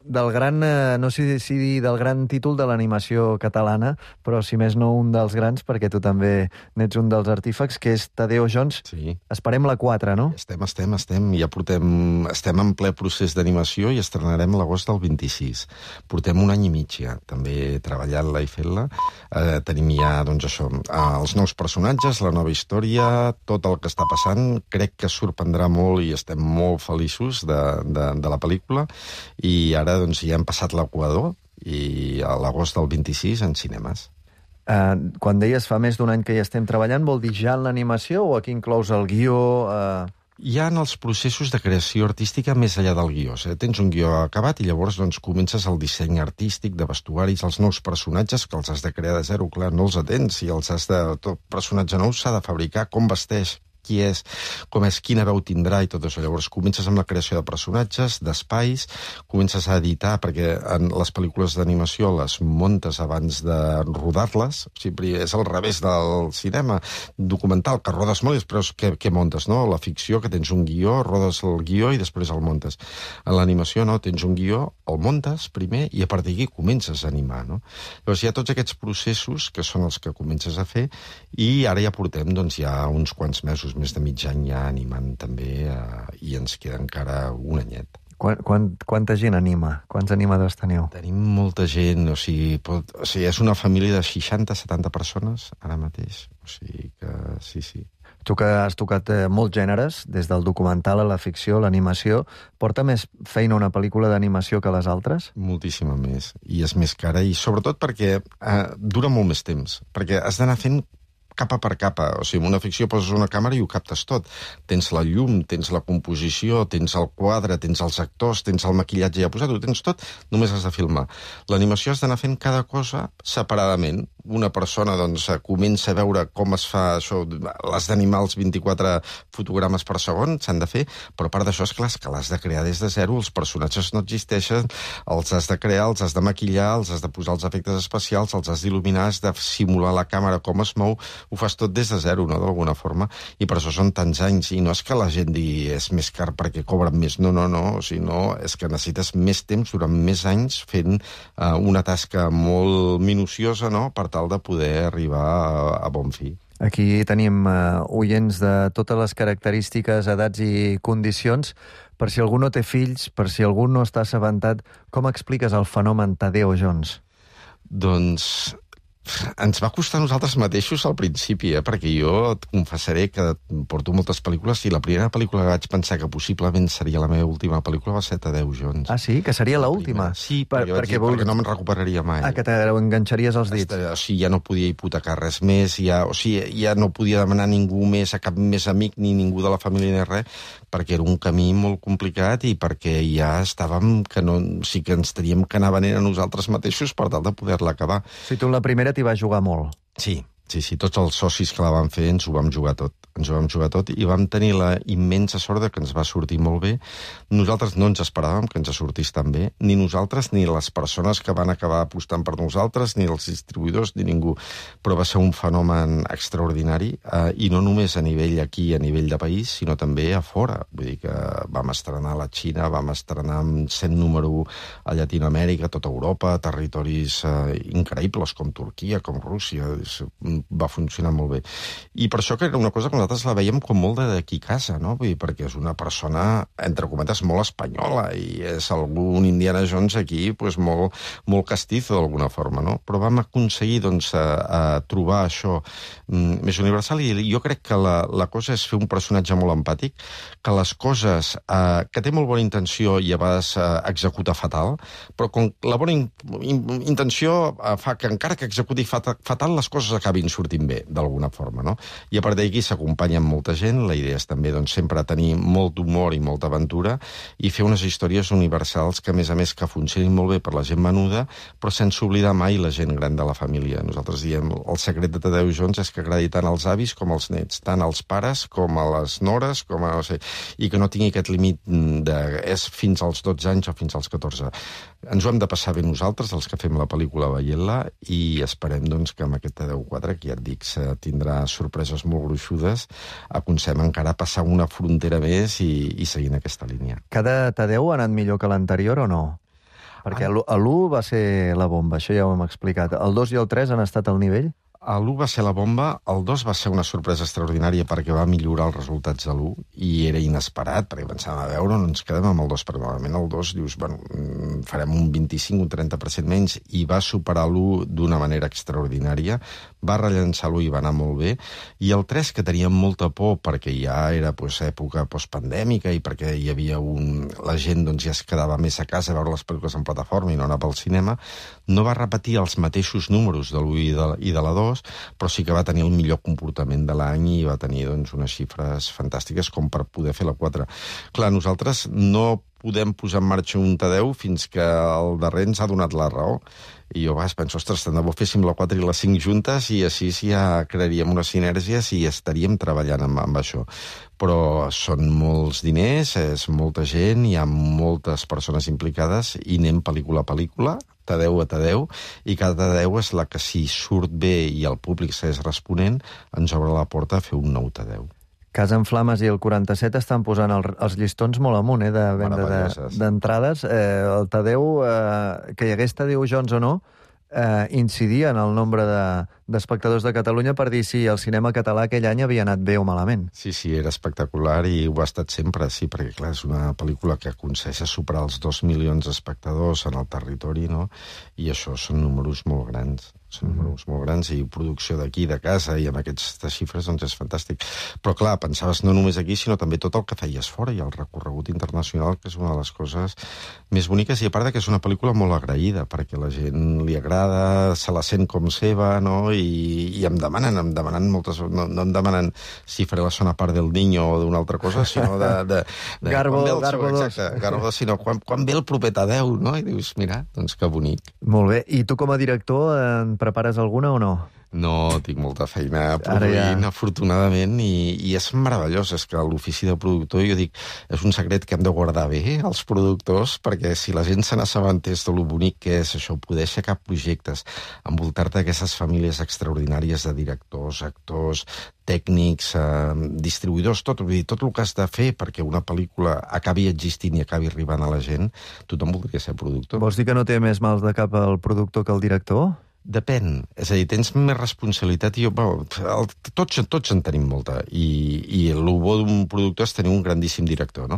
del gran, eh, no sé si dir del gran títol de l'animació catalana, però si més no un dels grans, perquè tu també n'ets un dels artífecs, que és Tadeo Jones.
Sí.
Esperem la quatre, no?
Estem, estem, estem. Ja portem... Estem en ple procés d'animació i estrenarem l'agost del vint-i-sis. Portem un any i mig ja, també treballant-la i fent-la. Eh, tenim ja, doncs això, els nous personatges, la nova història, tot el que està passant. Crec que sorprendrà molt i estem molt feliços de, de, de la pel·lícula. I ara doncs, ja hem passat l'equador i a l'agost del vint-i-sis en cinemes.
Uh, quan deies fa més d'un any que hi estem treballant, vol dir ja en l'animació o aquí inclous el guió? Uh...
Ja en els processos de creació artística més enllà del guió. Eh? Tens un guió acabat i llavors doncs, comences el disseny artístic de vestuaris, els nous personatges que els has de crear de zero, clar, no els atens, i els has de... Tot personatge nou s'ha de fabricar, com vesteix, qui és, com és, quina veu tindrà i tot això. Llavors comences amb la creació de personatges, d'espais, comences a editar, perquè en les pel·lícules d'animació les muntes abans de rodar-les, o sigui, és al revés del cinema documental, que rodes molt i després què, què montes, no? La ficció, que tens un guió, rodes el guió i després el montes. En l'animació, no, tens un guió, el montes primer i a partir d'aquí comences a animar, no? Llavors hi ha tots aquests processos que són els que comences a fer i ara ja portem, doncs, ja uns quants mesos, més de mig any ja animant també, eh, i ens queda encara un anyet.
Quan, quan, quanta gent anima? Quants animadors teniu?
Tenim molta gent, o sigui, pot, o sigui, és una família de seixanta setanta persones ara mateix, o sigui que sí, sí.
Tu que has tocat eh, molts gèneres, des del documental a la ficció, l'animació, porta més feina una pel·lícula d'animació que les altres?
Moltíssima més, i és més cara, i sobretot perquè eh, dura molt més temps, perquè has d'anar fent capa per capa. O sigui, en una ficció poses una càmera i ho captes tot. Tens la llum, tens la composició, tens el quadre, tens els actors, tens el maquillatge ja posat, ho tens tot, només has de filmar. L'animació has d'anar fent cada cosa separadament. Una persona, doncs, comença a veure com es fa això, l'has d'animar els vint-i-quatre fotogrames per segon, s'han de fer, però a part d'això, és clar, que l'has de crear des de zero, els personatges no existeixen, els has de crear, els has de maquillar, els has de posar els efectes especials, els has d'il·luminar, has de simular la càmera, com es mou, ho fas tot des de zero, no?, d'alguna forma, i per això són tants anys, i no és que la gent digui és més car perquè cobren més, no, no, no, o sigui, no, és que necessites més temps durant més anys fent uh, una tasca molt minuciosa, no?, per tal de poder arribar a, a bon fi.
Aquí tenim uh, oients de totes les característiques, edats i condicions. Per si algú no té fills, per si algú no està assabentat, com expliques el fenomen Tadeo Jones?
Doncs ens va costar a nosaltres mateixos al principi, eh? Perquè jo et confessaré que porto moltes pel·lícules i la primera pel·lícula que vaig pensar que possiblement seria la meva última pel·lícula va ser Tadeo Jones.
Ah, sí? Que seria l'última?
Sí, per, per, perquè, vols... perquè no me'n recuperaria mai.
Ah, que t'enganxaries els dits.
O sigui, ja no podia hipotecar res més, ja, o sigui, ja no podia demanar a ningú més, a cap més amic, ni ningú de la família ni res, perquè era un camí molt complicat i perquè ja estàvem, que no, o sigui, que ens teníem que anar venent a nosaltres mateixos per tal de poder-la acabar.
Si tu la primera t'hi vas jugar molt.
Sí, sí, sí, tots els socis que la van fer ens ho vam jugar tot. Ens ho vam jugar tot i vam tenir la immensa sort que ens va sortir molt bé. Nosaltres no ens esperàvem que ens sortís tan bé, ni nosaltres, ni les persones que van acabar apostant per nosaltres, ni els distribuïdors, ni ningú. Però va ser un fenomen extraordinari, eh, i no només a nivell aquí, a nivell de país, sinó també a fora. Vull dir que vam estrenar a la Xina, vam estrenar amb cent número a Llatinoamèrica, a tota Europa, territoris eh, increïbles, com Turquia, com Rússia. Va funcionar molt bé. I per això que era una cosa que nosaltres la veiem com molt d'aquí a casa, no? Vull dir, perquè és una persona, entre cometes, molt espanyola i és algun Indiana Jones aquí pues, molt, molt castizo d'alguna forma, no? Però vam aconseguir doncs, a, a trobar això mm, més universal i jo crec que la, la cosa és fer un personatge molt empàtic, que les coses, eh, que té molt bona intenció i a vegades eh, executa fatal, però com la bona in, in, intenció eh, fa que encara que executi fatal, fatal les coses acabin sortint bé, d'alguna forma, no? I a partir d'aquí s'acompleix t'acompanyen molta gent, la idea és també doncs, sempre tenir molt d'humor i molta aventura i fer unes històries universals que, a més a més, que funcionin molt bé per la gent menuda, però sense oblidar mai la gent gran de la família. Nosaltres diem, el secret de Tadeu Jones és que agradi tant als avis com als nets, tant als pares com a les nores, com a, no sé, i que no tingui aquest límit de és fins als dotze anys o fins als catorze. Ens ho hem de passar bé nosaltres, els que fem la pel·lícula veient-la, i esperem doncs, que amb aquest Tadeu quatre, que ja et dic, tindrà sorpreses molt gruixudes, aconseguim encara passar una frontera més i, i seguint aquesta línia.
Cada Tadeu ha anat millor que l'anterior o no? Perquè l'u va ser la bomba, això ja ho hem explicat. El dos i el tres han estat al nivell?
L'u va ser la bomba, el dos va ser una sorpresa extraordinària perquè va millorar els resultats de l'u i era inesperat, perquè pensàvem, a veure, no ens quedem amb el dos, perquè normalment el dos dius, bueno, farem un vint-i-cinc, un trenta per cent menys, i va superar l'u d'una manera extraordinària, va rellençar l'u i va anar molt bé, i el tres, que teníem molta por perquè ja era pues, època postpandèmica i perquè hi havia un... la gent doncs, ja es quedava més a casa a veure les pel·lícules en plataforma i no anava al cinema, no va repetir els mateixos números de l'u i de, i de la dos, però sí que va tenir el millor comportament de l'any i va tenir doncs, unes xifres fantàstiques com per poder fer la quatre. Clar, nosaltres no podem posar en marxa un Tadeu fins que el darrer ens ha donat la raó. I jo vas, penso, ostres, tant de bo féssim la quatre i la cinc juntes i així ja crearíem unes sinergies i estaríem treballant amb, amb això. Però són molts diners, és molta gent, hi ha moltes persones implicades i anem pel·lícula a pel·lícula, Tadeu a Tadeu, i cada Tadeu és la que, si surt bé i el públic segueix responent, ens obre la porta a fer un nou Tadeu.
Casa en Flames i el quaranta-set estan posant el, els llistons molt amunt, eh, de venda d'entrades. De, eh, el Tadeu, eh, que hi hagués Tadeu Jones o no, eh, incidia en el nombre d'espectadors de, de Catalunya per dir si el cinema català aquell any havia anat bé o malament.
Sí, sí, era espectacular i ho ha estat sempre, sí, perquè clar, és una pel·lícula que aconsegueix superar els dos milions d'espectadors en el territori, no? I això són números molt grans. Són números molt grans i producció d'aquí, de casa, i amb aquestes xifres doncs és fantàstic. Però clar, pensaves no només aquí, sinó també tot el que feies fora i el recorregut internacional, que és una de les coses més boniques, i a part que és una pel·lícula molt agraïda, perquè la gent li agrada, se la sent com seva, no? I, i em demanen, em demanen moltes... No, no em demanen si faré la segona part del Niño o d'una altra cosa, sinó de... de, de
Garbo,
el,
Garbo dos.
Exacte, Garbo dos, sinó quan, quan ve el proper Tadeu, no? I dius, mira, doncs que bonic.
Molt bé. I tu com a director en prepares alguna o no?
No, tinc molta feina produint, ja... afortunadament, i, i és meravellós. És que l'ofici de productor, jo dic, és un secret que hem de guardar bé, els productors, perquè si la gent se n'assabentés de lo bonic que és això, poder aixecar projectes, envoltar-te d'aquestes famílies extraordinàries de directors, actors, tècnics, eh, distribuïdors, tot, vull dir, tot el que has de fer perquè una pel·lícula acabi existint i acabi arribant a la gent, tothom voldria ser productor.
Vols dir que no té més mals de cap el productor que el director?
Depèn. És a dir, tens més responsabilitat i jo, bueno, el, tots, tots en tenim molta i, i el bo d'un productor és tenir un grandíssim director, no?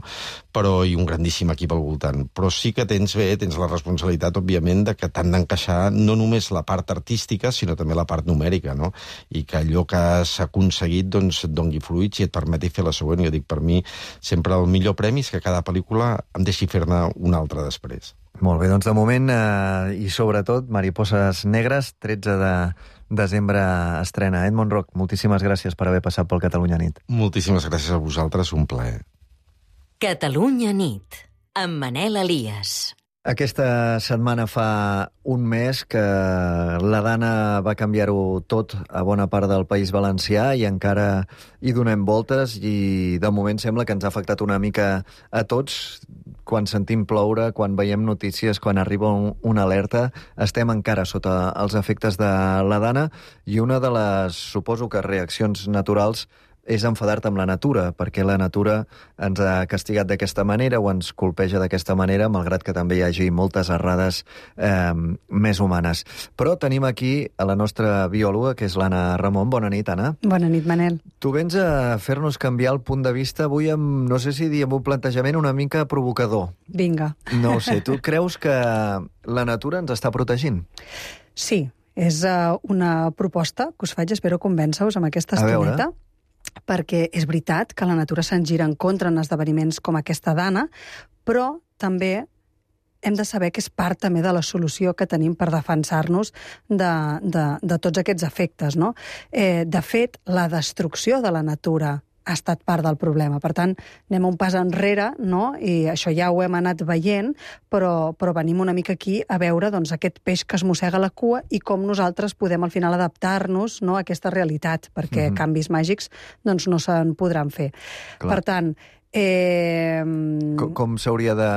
Però, i un grandíssim equip al voltant. Però sí que tens bé, tens la responsabilitat, òbviament, de que t'han d'encaixar no només la part artística, sinó també la part numèrica, no? I que allò que has aconseguit doncs, et dongui fruits i et permeti fer la següent. Jo dic, per mi, sempre el millor premi és que cada pel·lícula em deixi fer-ne una altra després.
Molt bé, doncs de moment, eh, i sobretot, Mariposas Negres, tretze de desembre estrena. Edmond Roch, moltíssimes gràcies per haver passat pel Catalunya Nit.
Moltíssimes gràcies a vosaltres, un plaer.
Catalunya Nit, amb Manel Elias.
Aquesta setmana fa un mes que la Dana va canviar-ho tot a bona part del País Valencià i encara hi donem voltes i de moment sembla que ens ha afectat una mica a tots. Quan sentim ploure, quan veiem notícies, quan arriba un, una alerta, estem encara sota els efectes de la Dana i una de les, suposo que reaccions naturals és enfadar-te amb la natura, perquè la natura ens ha castigat d'aquesta manera o ens colpeja d'aquesta manera, malgrat que també hi hagi moltes errades eh, més humanes. Però tenim aquí a la nostra biòloga, que és l'Anna Ramon. Bona nit, Anna.
Bona nit, Manel.
Tu vens a fer-nos canviar el punt de vista avui amb, no sé si dir, amb un plantejament una mica provocador.
Vinga.
No ho sé, tu creus que la natura ens està protegint?
Sí, és uh, una proposta que us faig, espero convèncer-vos amb aquesta estoneta. Perquè és veritat que la natura se'n gira en contra en esdeveniments com aquesta Dana, però també hem de saber que és part també de la solució que tenim per defensar-nos de, de, de tots aquests efectes, no? Eh, de fet, la destrucció de la natura ha estat part del problema. Per tant, anem un pas enrere, no? I això ja ho hem anat veient, però, però venim una mica aquí a veure doncs, aquest peix que es mossega la cua i com nosaltres podem al final adaptar-nos, no, a aquesta realitat, perquè mm-hmm. canvis màgics doncs, no se'n podran fer. Clar. Per tant... Eh...
Com, com s'hauria de...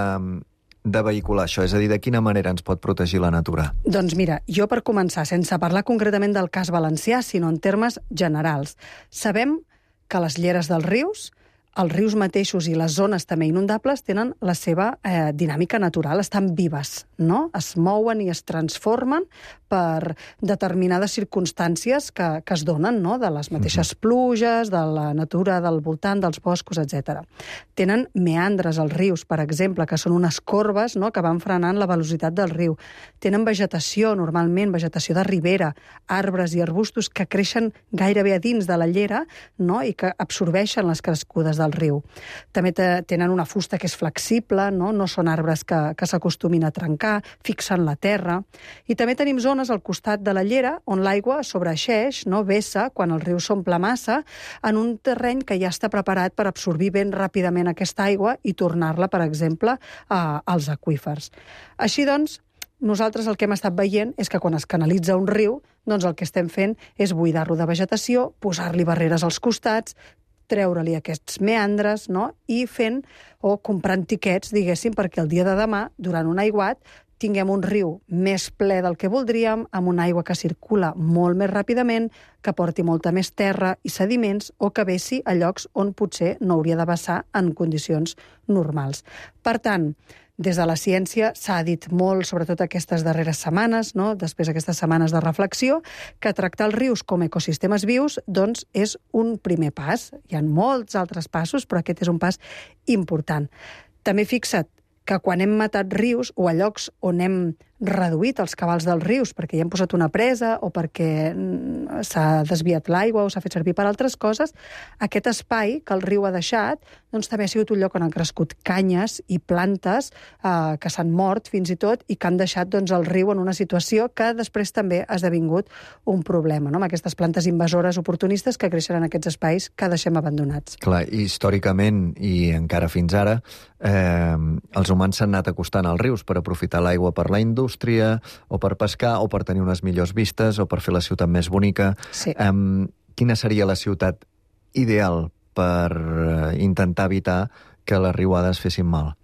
de vehicular això? És a dir, de quina manera ens pot protegir la natura?
Doncs mira, jo per començar, sense parlar concretament del cas valencià, sinó en termes generals, sabem que les lleres dels rius, els rius mateixos i les zones també inundables tenen la seva eh, dinàmica natural, estan vives, no? Es mouen i es transformen per determinades circumstàncies que, que es donen, no? De les mateixes uh-huh. pluges, de la natura del voltant, dels boscos, etcètera. Tenen meandres als rius, per exemple, que són unes corbes, no? Que van frenant la velocitat del riu. Tenen vegetació, normalment, vegetació de ribera, arbres i arbustos que creixen gairebé a dins de la llera, no? I que absorbeixen les crescudes del riu. També tenen una fusta que és flexible, no, no són arbres que, que s'acostumin a trencar, fixen la terra. I també tenim zones al costat de la llera on l'aigua sobreeixeix, no, vessa, quan el riu s'omple massa, en un terreny que ja està preparat per absorbir ben ràpidament aquesta aigua i tornar-la, per exemple, a, als aqüífers. Així doncs, nosaltres el que hem estat veient és que quan es canalitza un riu, doncs el que estem fent és buidar-lo de vegetació, posar-li barreres als costats, treure-li aquests meandres, no? I fent o comprant tiquets, diguéssim, perquè el dia de demà, durant un aiguat, tinguem un riu més ple del que voldríem, amb una aigua que circula molt més ràpidament, que porti molta més terra i sediments, o que vessi a llocs on potser no hauria de vessar en condicions normals. Per tant, des de la ciència s'ha dit molt, sobretot aquestes darreres setmanes, no? Després d'aquestes setmanes de reflexió, que tractar els rius com a ecosistemes vius doncs, és un primer pas. Hi ha molts altres passos, però aquest és un pas important. També fixa't que quan hem matat rius o a llocs on hem reduït els cabals dels rius perquè hi hem posat una presa o perquè s'ha desviat l'aigua o s'ha fet servir per altres coses, aquest espai que el riu ha deixat doncs, també ha sigut un lloc on han crescut canyes i plantes eh, que s'han mort fins i tot i que han deixat doncs, el riu en una situació que després també ha esdevingut un problema, no? Amb aquestes plantes invasores oportunistes que creixen en aquests espais que deixem abandonats.
Clar, històricament i encara fins ara, eh, els humans s'han anat acostant als rius per aprofitar l'aigua per la indústria, o per pescar, o per tenir unes millors vistes, o per fer la ciutat més bonica.
Sí.
Um, quina seria la ciutat ideal per intentar evitar que les riuades fessin mal?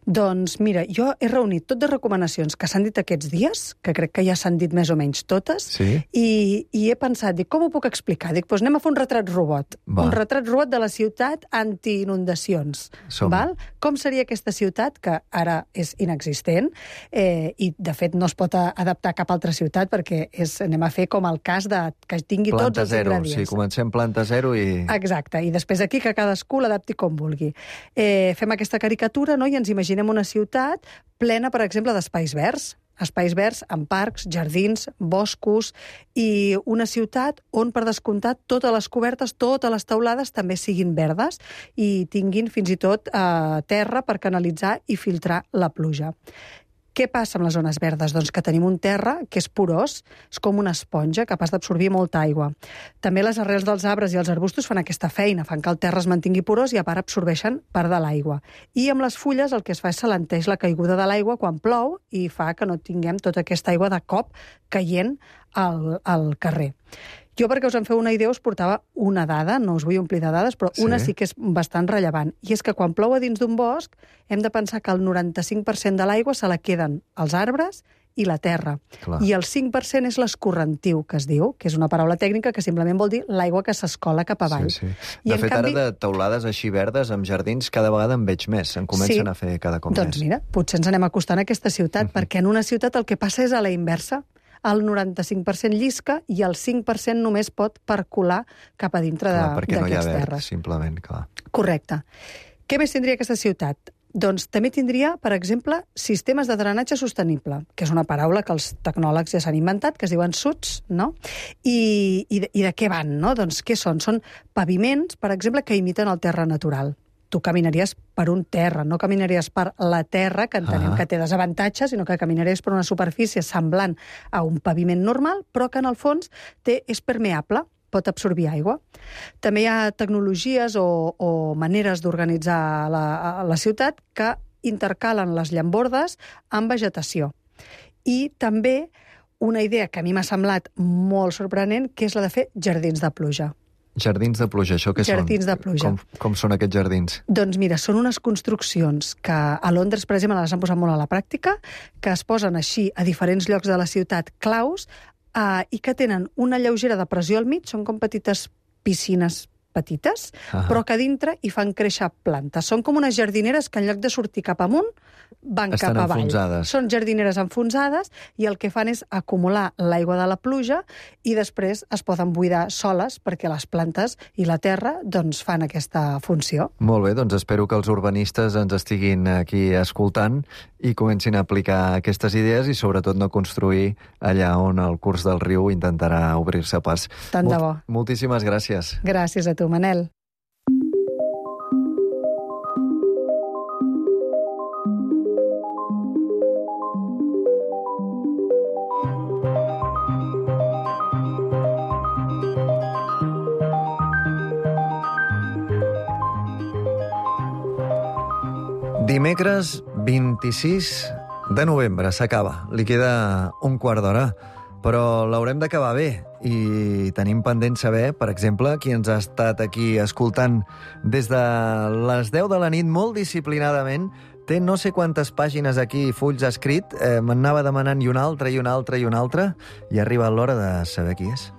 Doncs mira, jo he reunit tot de recomanacions que s'han dit aquests dies, que crec que ja s'han dit més o menys totes,
sí?
i, i he pensat, dic, com ho puc explicar? Dic, doncs anem a fer un retrat robot.
Va.
Un retrat robot de la ciutat anti-inundacions. Val? Com seria aquesta ciutat, que ara és inexistent, eh, i de fet no es pot adaptar a cap altra ciutat, perquè és, anem a fer com el cas de que tingui
planta
tots els
zero.
ingredients.
Sí, comencem planta zero i...
Exacte, i després aquí que cadascú l'adapti com vulgui. Eh, fem aquesta caricatura, no?, i ens imaginem una ciutat plena, per exemple, d'espais verds. Espais verds amb parcs, jardins, boscos, i una ciutat on, per descomptat, totes les cobertes, totes les teulades també siguin verdes i tinguin fins i tot eh, terra per canalitzar i filtrar la pluja. Què passa amb les zones verdes? Doncs que tenim un terra que és porós, és com una esponja capaç d'absorbir molta aigua. També les arrels dels arbres i els arbustos fan aquesta feina, fan que el terra es mantingui porós i a part absorbeixen part de l'aigua. I amb les fulles el que es fa és s'alenteix la caiguda de l'aigua quan plou i fa que no tinguem tota aquesta aigua de cop caient al, al carrer. Jo, perquè us en feu una idea, us portava una dada, no us vull omplir de dades, però sí. Una sí que és bastant rellevant. I és que quan plou a dins d'un bosc, hem de pensar que el noranta-cinc per cent de l'aigua se la queden els arbres i la terra.
Clar.
I el cinc per cent és l'escorrentiu, que es diu, que és una paraula tècnica que simplement vol dir l'aigua que s'escola cap avall.
Sí, sí.
I
de fet,
canvi...
ara de teulades així verdes, amb jardins, cada vegada en veig més. En comencen
sí.
a fer cada cop
doncs
més.
Doncs mira, potser ens anem acostant a aquesta ciutat, uh-huh. perquè en una ciutat el que passa és a la inversa. El noranta-cinc per cent llisca i el cinc per cent només pot percolar cap a dintre
clar, perquè no hi ha verd,
terres.
simplement, clar.
Correcte. Què més tindria aquesta ciutat? Doncs també tindria, per exemple, sistemes de drenatge sostenible, que és una paraula que els tecnòlegs ja s'han inventat, que es diuen S U Ts, no? I, i, de, i de què van, no? Doncs què són? Són paviments, per exemple, que imiten el terra natural. tu caminaries per un terra, no caminaries per la terra, que entenem ah. que té desavantatges, sinó que caminaries per una superfície semblant a un paviment normal, però que en el fons té, és permeable, pot absorbir aigua. També hi ha tecnologies o, o maneres d'organitzar la, la ciutat que intercalen les llambordes amb vegetació. I també una idea que a mi m'ha semblat molt sorprenent, que és la de fer jardins de pluja.
Jardins de pluja, això què
jardins
són?
de pluja.
Com, com són aquests jardins?
Doncs mira, són unes construccions que a Londres, per exemple, les han posat molt a la pràctica, que es posen així a diferents llocs de la ciutat claus eh, i que tenen una lleugera depressió al mig, són com petites piscines petites, ah. però que a dintre hi fan créixer plantes. Són com unes jardineres que en lloc de sortir cap amunt, van
Estan
cap avall.
enfonsades.
Són jardineres enfonsades i el que fan és acumular l'aigua de la pluja i després es poden buidar soles perquè les plantes i la terra doncs, fan aquesta funció.
Molt bé, doncs espero que els urbanistes ens estiguin aquí escoltant i comencin a aplicar aquestes idees i sobretot no construir allà on el curs del riu intentarà obrir-se pas.
Tant de bo.
Mol- moltíssimes gràcies.
Gràcies a tu, Manel.
Dimecres vint-i-sis de novembre s'acaba. Li queda un quart d'hora, però l'haurem d'acabar bé. I tenim pendent saber, per exemple, qui ens ha estat aquí escoltant des de les deu de la nit molt disciplinadament. Té no sé quantes pàgines aquí, fulls escrit, eh, m'anava demanant i una altra, i una altra, i una altra, i ha arribat l'hora de saber qui és.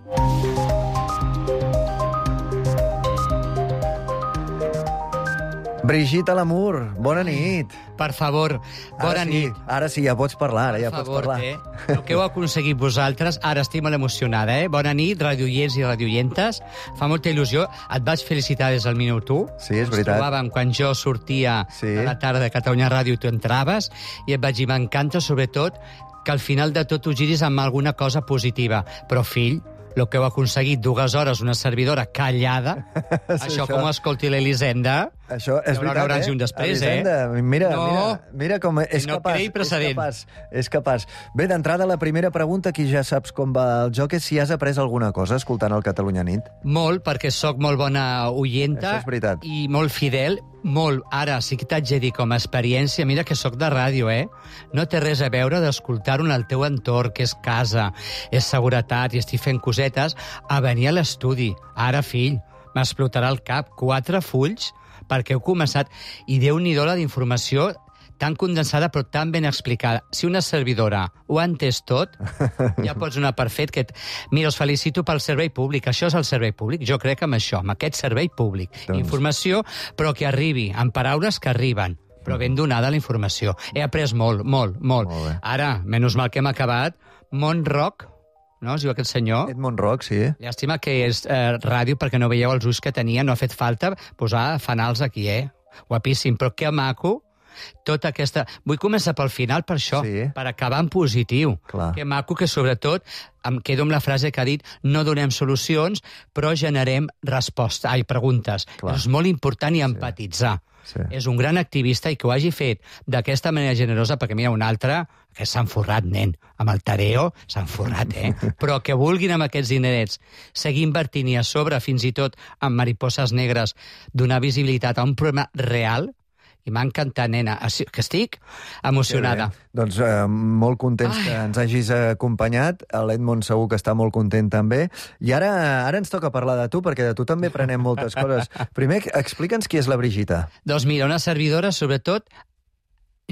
Brigitte Lamour, bona nit.
Per favor, bona
ara sí,
nit.
Ara sí, ja pots parlar, ara ja
per
pots
favor,
parlar.
Eh? El que heu aconseguit vosaltres, ara estic molt emocionada, eh? Bona nit, radioients i radioientes. Fa molta il·lusió. Et vaig felicitar des del minut u.
Sí, és
Ens
veritat.
trobàvem quan jo sortia
Sí.
a la tarda de Catalunya Ràdio i tu entraves, i et vaig dir, m'encanta, sobretot, que al final de tot ho giris amb alguna cosa positiva. Però, fill, el que heu aconseguit, dues hores, una servidora callada, això,
això.
com ho escolti l'Elisenda,
Això és
hi haurà
veritat,
abans
eh?
i un després,
Elisenda,
eh?
Mira,
No.
mira, mira com és
No
capaç.
creï precedent.
És capaç, és capaç. Bé, d'entrada, la primera pregunta, aquí ja saps com va el joc, és si has après alguna cosa escoltant el Catalunya Nit.
Molt, perquè sóc molt bona oienta
Això és veritat.
i molt fidel, molt. Ara, sí que t'haig de dir com a experiència, mira que sóc de ràdio, eh? No té res a veure d'escoltar-ho en el teu entorn, que és casa, és seguretat i estic fent cosetes, a venir a l'estudi. Ara, fill, m'explotarà el cap. Quatre fulls perquè heu començat. I Déu-n'hi-do la d'informació tan condensada però tan ben explicada. Si una servidora ho ha entès tot, ja pots donar per fet que... Mira, us felicito pel servei públic. Això és el servei públic. Jo crec amb això, amb aquest servei públic.
Doncs...
Informació, però que arribi, amb paraules que arriben, però ben donada la informació. He après molt, molt, molt.
molt
Ara, menys mal que hem acabat, Montroc, no? Es diu aquest senyor.
Edmond Rock, sí.
Llàstima que és eh, ràdio perquè no veieu els ulls que tenia, no ha fet falta posar fanals aquí, eh? Guapíssim, però que maco tota aquesta... Vull començar pel final per això,
Sí.
per acabar en positiu.
Clar.
Que maco que, sobretot, em quedo amb la frase que ha dit, no donem solucions, però generem respostes, ai, preguntes.
Clar.
És molt important i empatitzar.
Sí.
És un gran activista i que ho hagi fet d'aquesta manera generosa, perquè mira, un altre que s'ha enforrat, nen. Amb el tareo s'ha enforrat, eh? Però que vulguin amb aquests dinerets seguir invertint i a sobre, fins i tot amb Mariposas Negres, donar visibilitat a un problema real, i m'ha encantat, nena, que estic emocionada.
Doncs eh, molt contents
Ai.
que ens hagis acompanyat. L'Edmond segur que està molt content també. I ara ara ens toca parlar de tu, perquè de tu també prenem moltes coses. Primer, explica'ns qui és la Brigitte.
Doncs mira, una servidora, sobretot,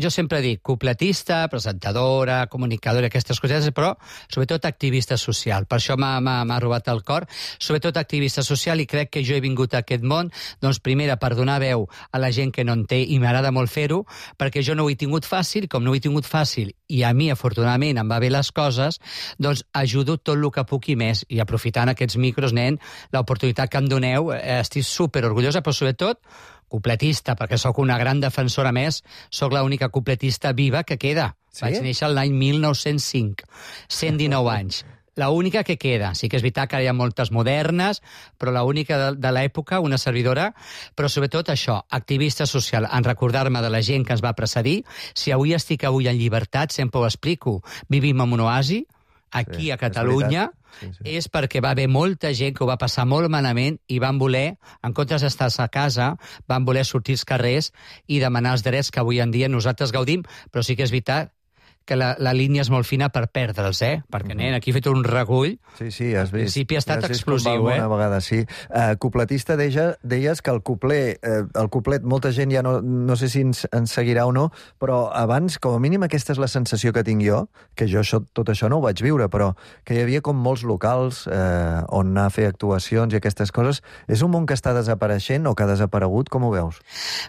jo sempre dic cupletista, presentadora, comunicadora, aquestes cosetes, però sobretot activista social. Per això m'ha robat el cor. Sobretot activista social, i crec que jo he vingut a aquest món, doncs primera, per donar veu a la gent que no en té, i m'agrada molt fer-ho, perquè jo no ho he tingut fàcil, com no ho he tingut fàcil, i a mi, afortunadament, em va bé les coses, doncs ajudo tot el que puc i més. I aprofitant aquests micros, nen, l'oportunitat que em doneu, eh, estic superorgullosa, però sobretot cupletista, perquè sóc una gran defensora més, sóc l'única cupletista viva que queda.
Sí?
Vaig néixer l'any mil nou-cents cinc, cent dinou anys. La única que queda. Sí que és veritat que hi ha moltes modernes, però la única de, de l'època, una servidora, però sobretot això, activista social, en recordar-me de la gent que ens va precedir. Si avui estic avui en llibertat, sempre ho explico, vivim en un oasi, aquí sí, a Catalunya, és, sí, sí. és perquè va haver molta gent que ho va passar molt malament i van voler, en comptes d'estar a casa, van voler sortir als carrers i demanar els drets que avui en dia nosaltres gaudim, però sí que és veritat que la, la línia és molt fina per perdre'ls, eh? Perquè, nen, aquí he fet un recull.
Sí, sí, has vist.
Al principi ha estat
has
explosiu, eh?
Una vegada, sí. Uh, cupletista, deia, deies que el cuplet, uh, el cuplet, molta gent ja no, no sé si ens, ens seguirà o no, però abans, com a mínim, aquesta és la sensació que tinc jo, que jo això, tot això no ho vaig viure, però que hi havia com molts locals eh, on anar a fer actuacions i aquestes coses. És un món que està desapareixent o que ha desaparegut? Com ho veus?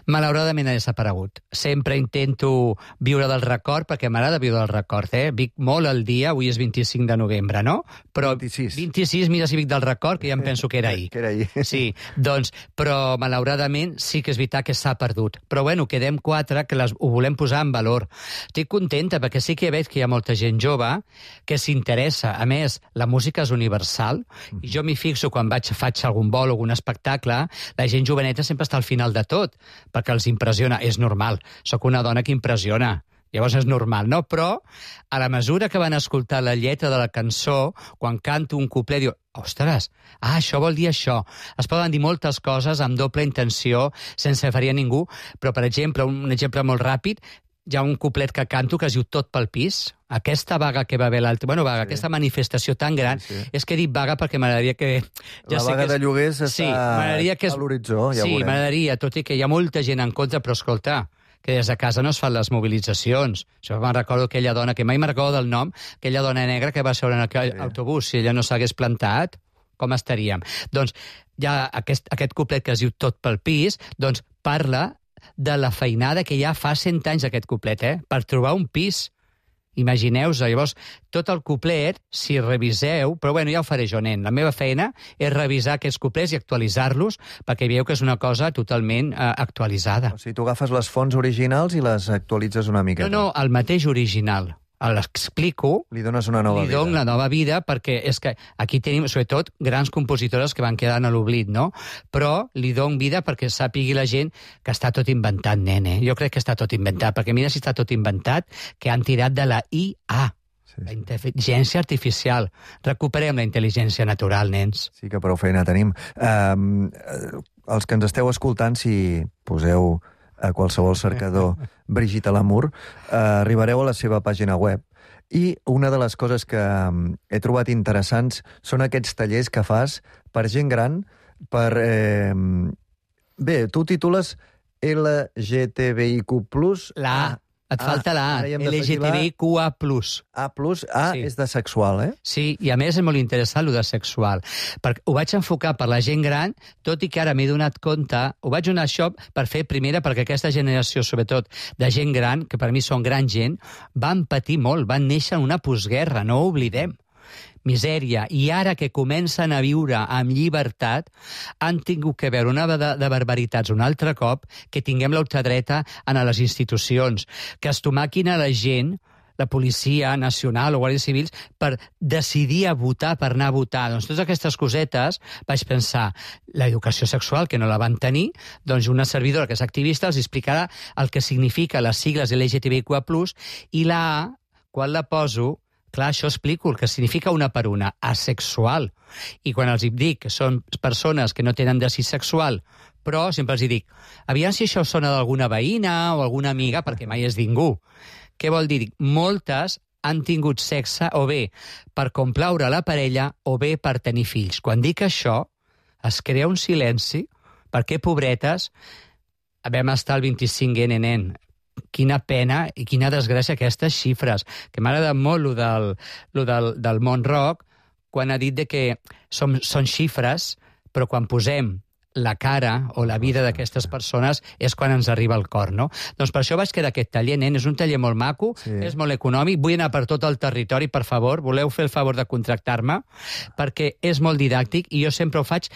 Malauradament ha desaparegut. Sempre intento viure del record, perquè m'agrada viure del record, eh? Vic molt el dia, avui és vint-i-cinc de novembre, no? Però
vint-i-sis.
vint-i-sis, mira si Vic del record, que ja em penso que era ahir.
que era ahir.
Sí, doncs, però malauradament sí que és veritat que s'ha perdut. Però bueno, quedem quatre que les, ho volem posar en valor. Estic contenta perquè sí que veig que hi ha molta gent jove que s'interessa. A més, la música és universal i jo m'hi fixo quan vaig, faig algun vol o algun espectacle, la gent joveneta sempre està al final de tot, perquè els impressiona. És normal, sóc una dona que impressiona. Llavors és normal, no? Però a la mesura que van escoltar la lletra de la cançó, quan canto un couplet, diu, ostres, ah, això vol dir això. Es poden dir moltes coses amb doble intenció, sense ferir a ningú, però, per exemple, un exemple molt ràpid, hi ha un couplet que canto que es diu Tot pel pis. Aquesta vaga que va haver l'altre... Bueno, vaga, sí. Aquesta manifestació tan gran... Sí, sí. És que he dit vaga perquè m'agradaria que...
Ja la vaga que és... de lloguers està
sí, que és...
a l'horitzó, ja
sí,
ho veurem. Sí,
m'agradaria, tot i que hi ha molta gent en contra, però escolta, que des de casa no es fan les mobilitzacions. Això me'n recordo aquella dona, que mai me'n recordo del nom, aquella dona negra que va seure en aquell sí. autobús, si ella no s'hagués plantat, com estaríem? Doncs hi ha aquest, aquest couplet que es diu Tot pel pis, doncs parla de la feinada que ja fa cent anys aquest couplet, eh? Per trobar un pis. Imagineu-vos, llavors, tot el couplet, si reviseu, però bueno, ja ho faré jo, nen, la meva feina és revisar aquests couplets i actualitzar-los perquè veieu que és una cosa totalment eh, actualitzada.
O sigui, tu agafes les fonts originals i les actualitzes una miqueta.
No, no, el mateix original. L'explico,
li dones una nova
li
vida.
Li dono una nova vida perquè és que aquí tenim, sobretot, grans compositores que van quedar a l'oblit, no? Però li dono vida perquè sàpigui la gent que està tot inventat, nene. Jo crec que està tot inventat, perquè mira si està tot inventat, que han tirat de la I A. Sí, sí. La intel·ligència artificial. Recuperem la intel·ligència natural, nens.
Sí que prou feina tenim. Um, els que ens esteu escoltant, si poseu a qualsevol cercador Brigitte Lamour, eh, arribareu a la seva pàgina web. I una de les coses que he trobat interessants són aquests tallers que fas per gent gran, per... Eh, bé, tu titules L G T B I Q plus...
La A. Et ah, falta la A, L G T B I Q A plus.
A plus, A sí. És de sexual, eh?
Sí, i a més és molt interessant, el de sexual. Perquè ho vaig enfocar per la gent gran, tot i que ara m'he donat compte, ho vaig donar això per fer primera, perquè aquesta generació, sobretot, de gent gran, que per mi són gran gent, van patir molt, van néixer en una postguerra, no ho oblidem. Misèria, i ara que comencen a viure amb llibertat, han tingut que veure una de, de barbaritats un altre cop, que tinguem l'ultradreta en les institucions, que es tomaquin a la gent, la Policia Nacional o Guàrdies Civils, per decidir a votar, per anar a votar. Doncs totes aquestes cosetes, vaig pensar, l'educació sexual, que no la van tenir, doncs una servidora que és activista els explicarà el que significa les sigles L G T B I Q A plus, i la A, quan la poso, clar, això explico el que significa una per una, asexual. I quan els dic que són persones que no tenen desig sexual, però sempre els dic, aviam si això sona d'alguna veïna o alguna amiga, perquè mai és ningú. Què vol dir? Moltes han tingut sexe o bé per complaure la parella o bé per tenir fills. Quan dic això, es crea un silenci, perquè, pobretes, vam estar al vint-i-cinc ene, nen. Quina pena i quina desgràcia aquestes xifres, que m'ha agradat molt lo del, lo del, del món rock, quan ha dit de que som, són xifres, però quan posem la cara o la vida d'aquestes persones és quan ens arriba al cor, no? Doncs per això vaig quedar aquest taller, nen, és un taller molt maco, sí. És molt econòmic, vull anar per tot el territori, per favor, voleu fer el favor de contractar-me, perquè és molt didàctic i jo sempre ho faig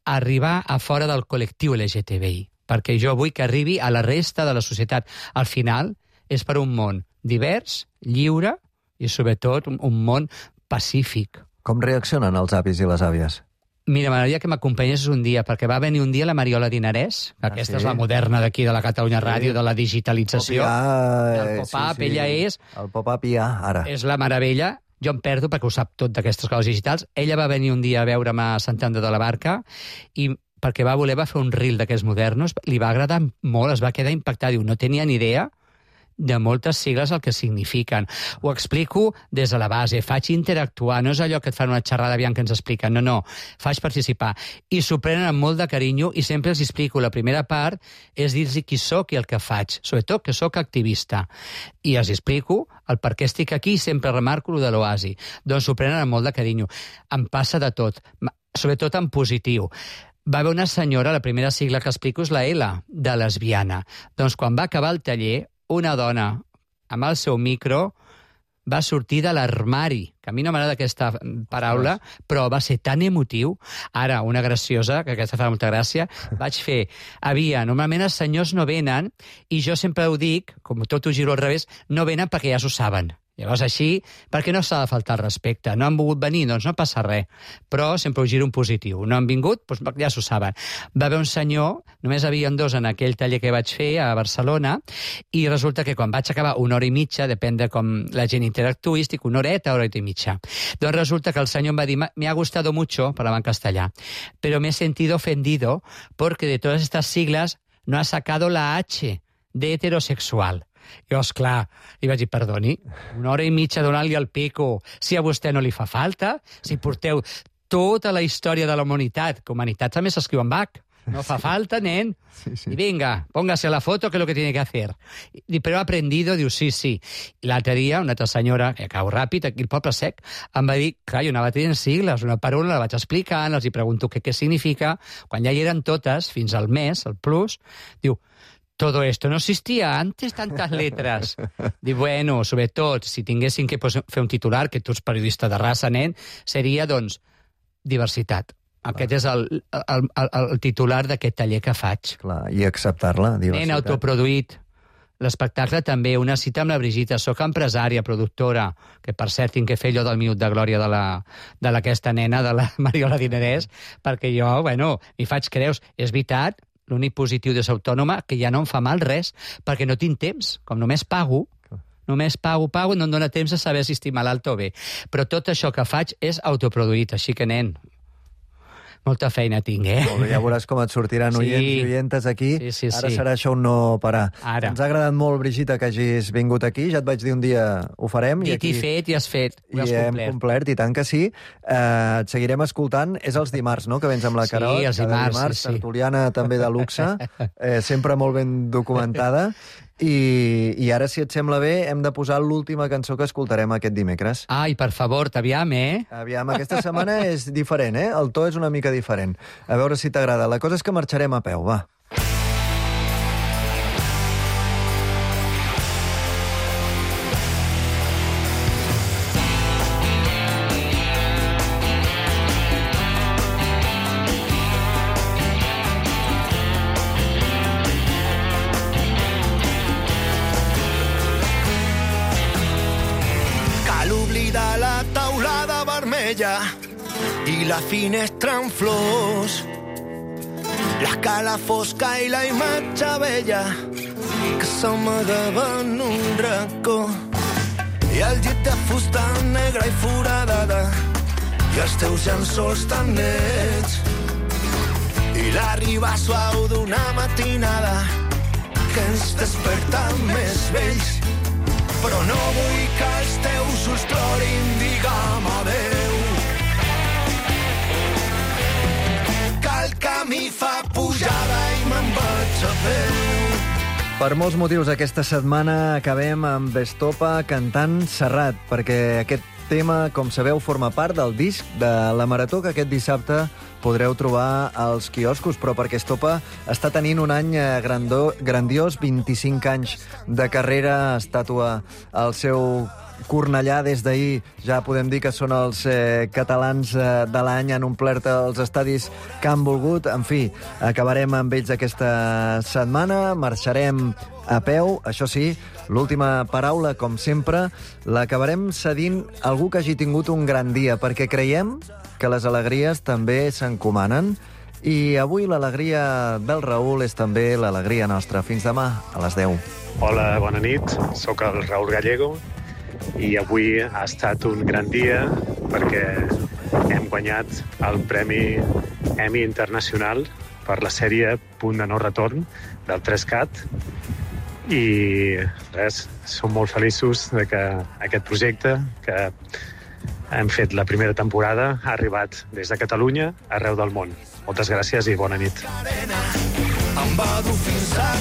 arribar a fora del col·lectiu L G T B I. Perquè jo vull que arribi a la resta de la societat. Al final, és per un món divers, lliure i, sobretot, un món pacífic.
Com reaccionen els avis i les àvies?
Mira, m'agradaria que m'acompanyessis un dia, perquè va venir un dia la Mariola Dinarès, que aquesta ah, sí? és la moderna d'aquí, de la Catalunya Ràdio, sí. de la digitalització.
Pop-up,
el pop-up,
sí, sí.
ella és...
El pop-up ja, ara.
És la meravella. Jo em perdo perquè ho sap tot d'aquestes coses digitals. Ella va venir un dia a veure'm a Sant Andreu de la Barca i perquè va voler va fer un reel d'aquests modernos, li va agradar molt, es va quedar impactat. Diu, no tenia ni idea de moltes sigles el que signifiquen. Ho explico des de la base, faig interactuar, no és allò que et fan una xerrada aviam que ens expliquen, no, no, faig participar. I s'ho prenen amb molt de carinyo i sempre els explico. La primera part és dir-los qui sóc i el que faig, sobretot que sóc activista. I els explico el per què estic aquí i sempre remarco el de l'oasi. Doncs s'ho prenen amb molt de carinyo. Em passa de tot, sobretot en positiu. Va haver una senyora, la primera sigla que explico és la L, de lesbiana. Doncs quan va acabar el taller, una dona amb el seu micro va sortir de l'armari, que a mi no m'agrada aquesta paraula, però va ser tan emotiu. Ara, una graciosa, que aquesta fa molta gràcia, vaig fer... Havia, normalment els senyors no venen, i jo sempre ho dic, com tot ho giro al revés, no venen perquè ja s'ho saben. Llavors, així, perquè no s'ha de faltar el respecte. No han volgut venir, doncs no passa res. Però sempre ho giro un positiu. No han vingut, doncs ja s'ho saben. Va haver un senyor, només havien dos en aquell taller que vaig fer a Barcelona, i resulta que quan vaig acabar una hora i mitja, depèn de com la gent interactuï, estic una horeta, hora i mitja. Doncs resulta que el senyor em va dir, me ha gustado mucho, parlava en castellà, pero me he sentido ofendido porque de todas estas siglas no ha sacado la H de heterosexual. I llavors, clar, li vaig dir, perdoni, una hora i mitja donant-li el pico, si a vostè no li fa falta, si porteu tota la història de la humanitat, que humanitat també s'escriu en Bach, no fa falta, nen. Sí, sí. I vinga, póngase la foto, que es lo que tiene que hacer. I, però he aprendido, diu, sí, sí. I l'altre dia, una altra senyora, que acabo ràpid, aquí al Poble Sec, em va dir, clar, jo anava tenint sigles, una per una la vaig explicant, els hi pregunto què, què significa. Quan ja hi eren totes, fins al mes, el plus, diu, todo esto no existía antes, tantas letras. Dic, bueno, sobretot, si tinguessin que fer un titular, que tu ets periodista de raça, nen, seria, doncs, diversitat. Aquest és el, el, el, el titular d'aquest taller que faig.
Clar, i acceptar-la, diversitat.
Nen, autoproduït. L'espectacle també, una cita amb la Brigitte. Soc empresària, productora, que per cert tinc que fer allò del minut de glòria de d'aquesta nena, de la Mariola Dinarès, perquè jo, bueno, m'hi faig creus. És veritat, l'únic positiu de ser autònoma, que ja no em fa mal res, perquè no tinc temps. Com només pago, només pago, pago, no em dóna temps de saber si estic malalt o bé. Però tot això que faig és autoproduït, així que, nen, molta feina tinc, eh?
Molt bé, ja veuràs com et sortiran sí. oients i oientes aquí.
Sí, sí,
Ara
sí.
serà això un no parar.
Ara.
Ens ha agradat molt, Brigitte, que hagis vingut aquí. Ja et vaig dir un dia ho farem.
Dit
i, aquí...
i fet, i has fet. Ho has
I hem
complert.
complert, i tant que sí. Uh, et seguirem escoltant. És els dimarts, no?, que vens amb la Carol.
Sí, els dimarts,
dimarts
sí, sí.
tertuliana també de luxe, eh, sempre molt ben documentada. I, I ara, si et sembla bé, hem de posar l'última cançó que escoltarem aquest dimecres.
Ai, per favor, t'aviam, eh?
Aviam, aquesta setmana és diferent, eh? El to és una mica diferent. A veure si t'agrada. La cosa és que marxarem a peu, va.
I la finestra en flors, l'escala fosca i la imatge vella que s'amagava en un racó, i el llit de fusta negra i foradada i els teus llençols tan nets, i l'arribar suau d'una matinada que ens desperta més vells. Però no vull que els teus ulls plorin, digue'm adeu, que el camí fa pujada i me'n vaig a peu.
Per molts motius, aquesta setmana acabem amb Estopa cantant Serrat, perquè aquest tema, com sabeu, forma part del disc de la Marató que aquest dissabte podreu trobar als quioscos, però perquè Estopa està tenint un any grandó, grandiós, vint-i-cinc anys de carrera, estàtua al seu Cornellà. Des d'ahir ja podem dir que són els eh, catalans eh, de l'any, han omplert els estadis que han volgut. En fi, acabarem amb ells aquesta setmana, marxarem a peu, això sí, l'última paraula, com sempre, l'acabarem cedint a algú que hagi tingut un gran dia, perquè creiem que les alegries també s'encomanen, i avui l'alegria del Raül és també l'alegria nostra. Fins demà, a les deu.
Hola, bona nit, sóc el Raül Gallego, i avui ha estat un gran dia perquè hem guanyat el Premi Emmy Internacional per la sèrie Punt de no retorn del tres cat, i res, som molt feliços de que aquest projecte que hem fet la primera temporada ha arribat des de Catalunya arreu del món. Moltes gràcies i bona nit.
Em va dur fins a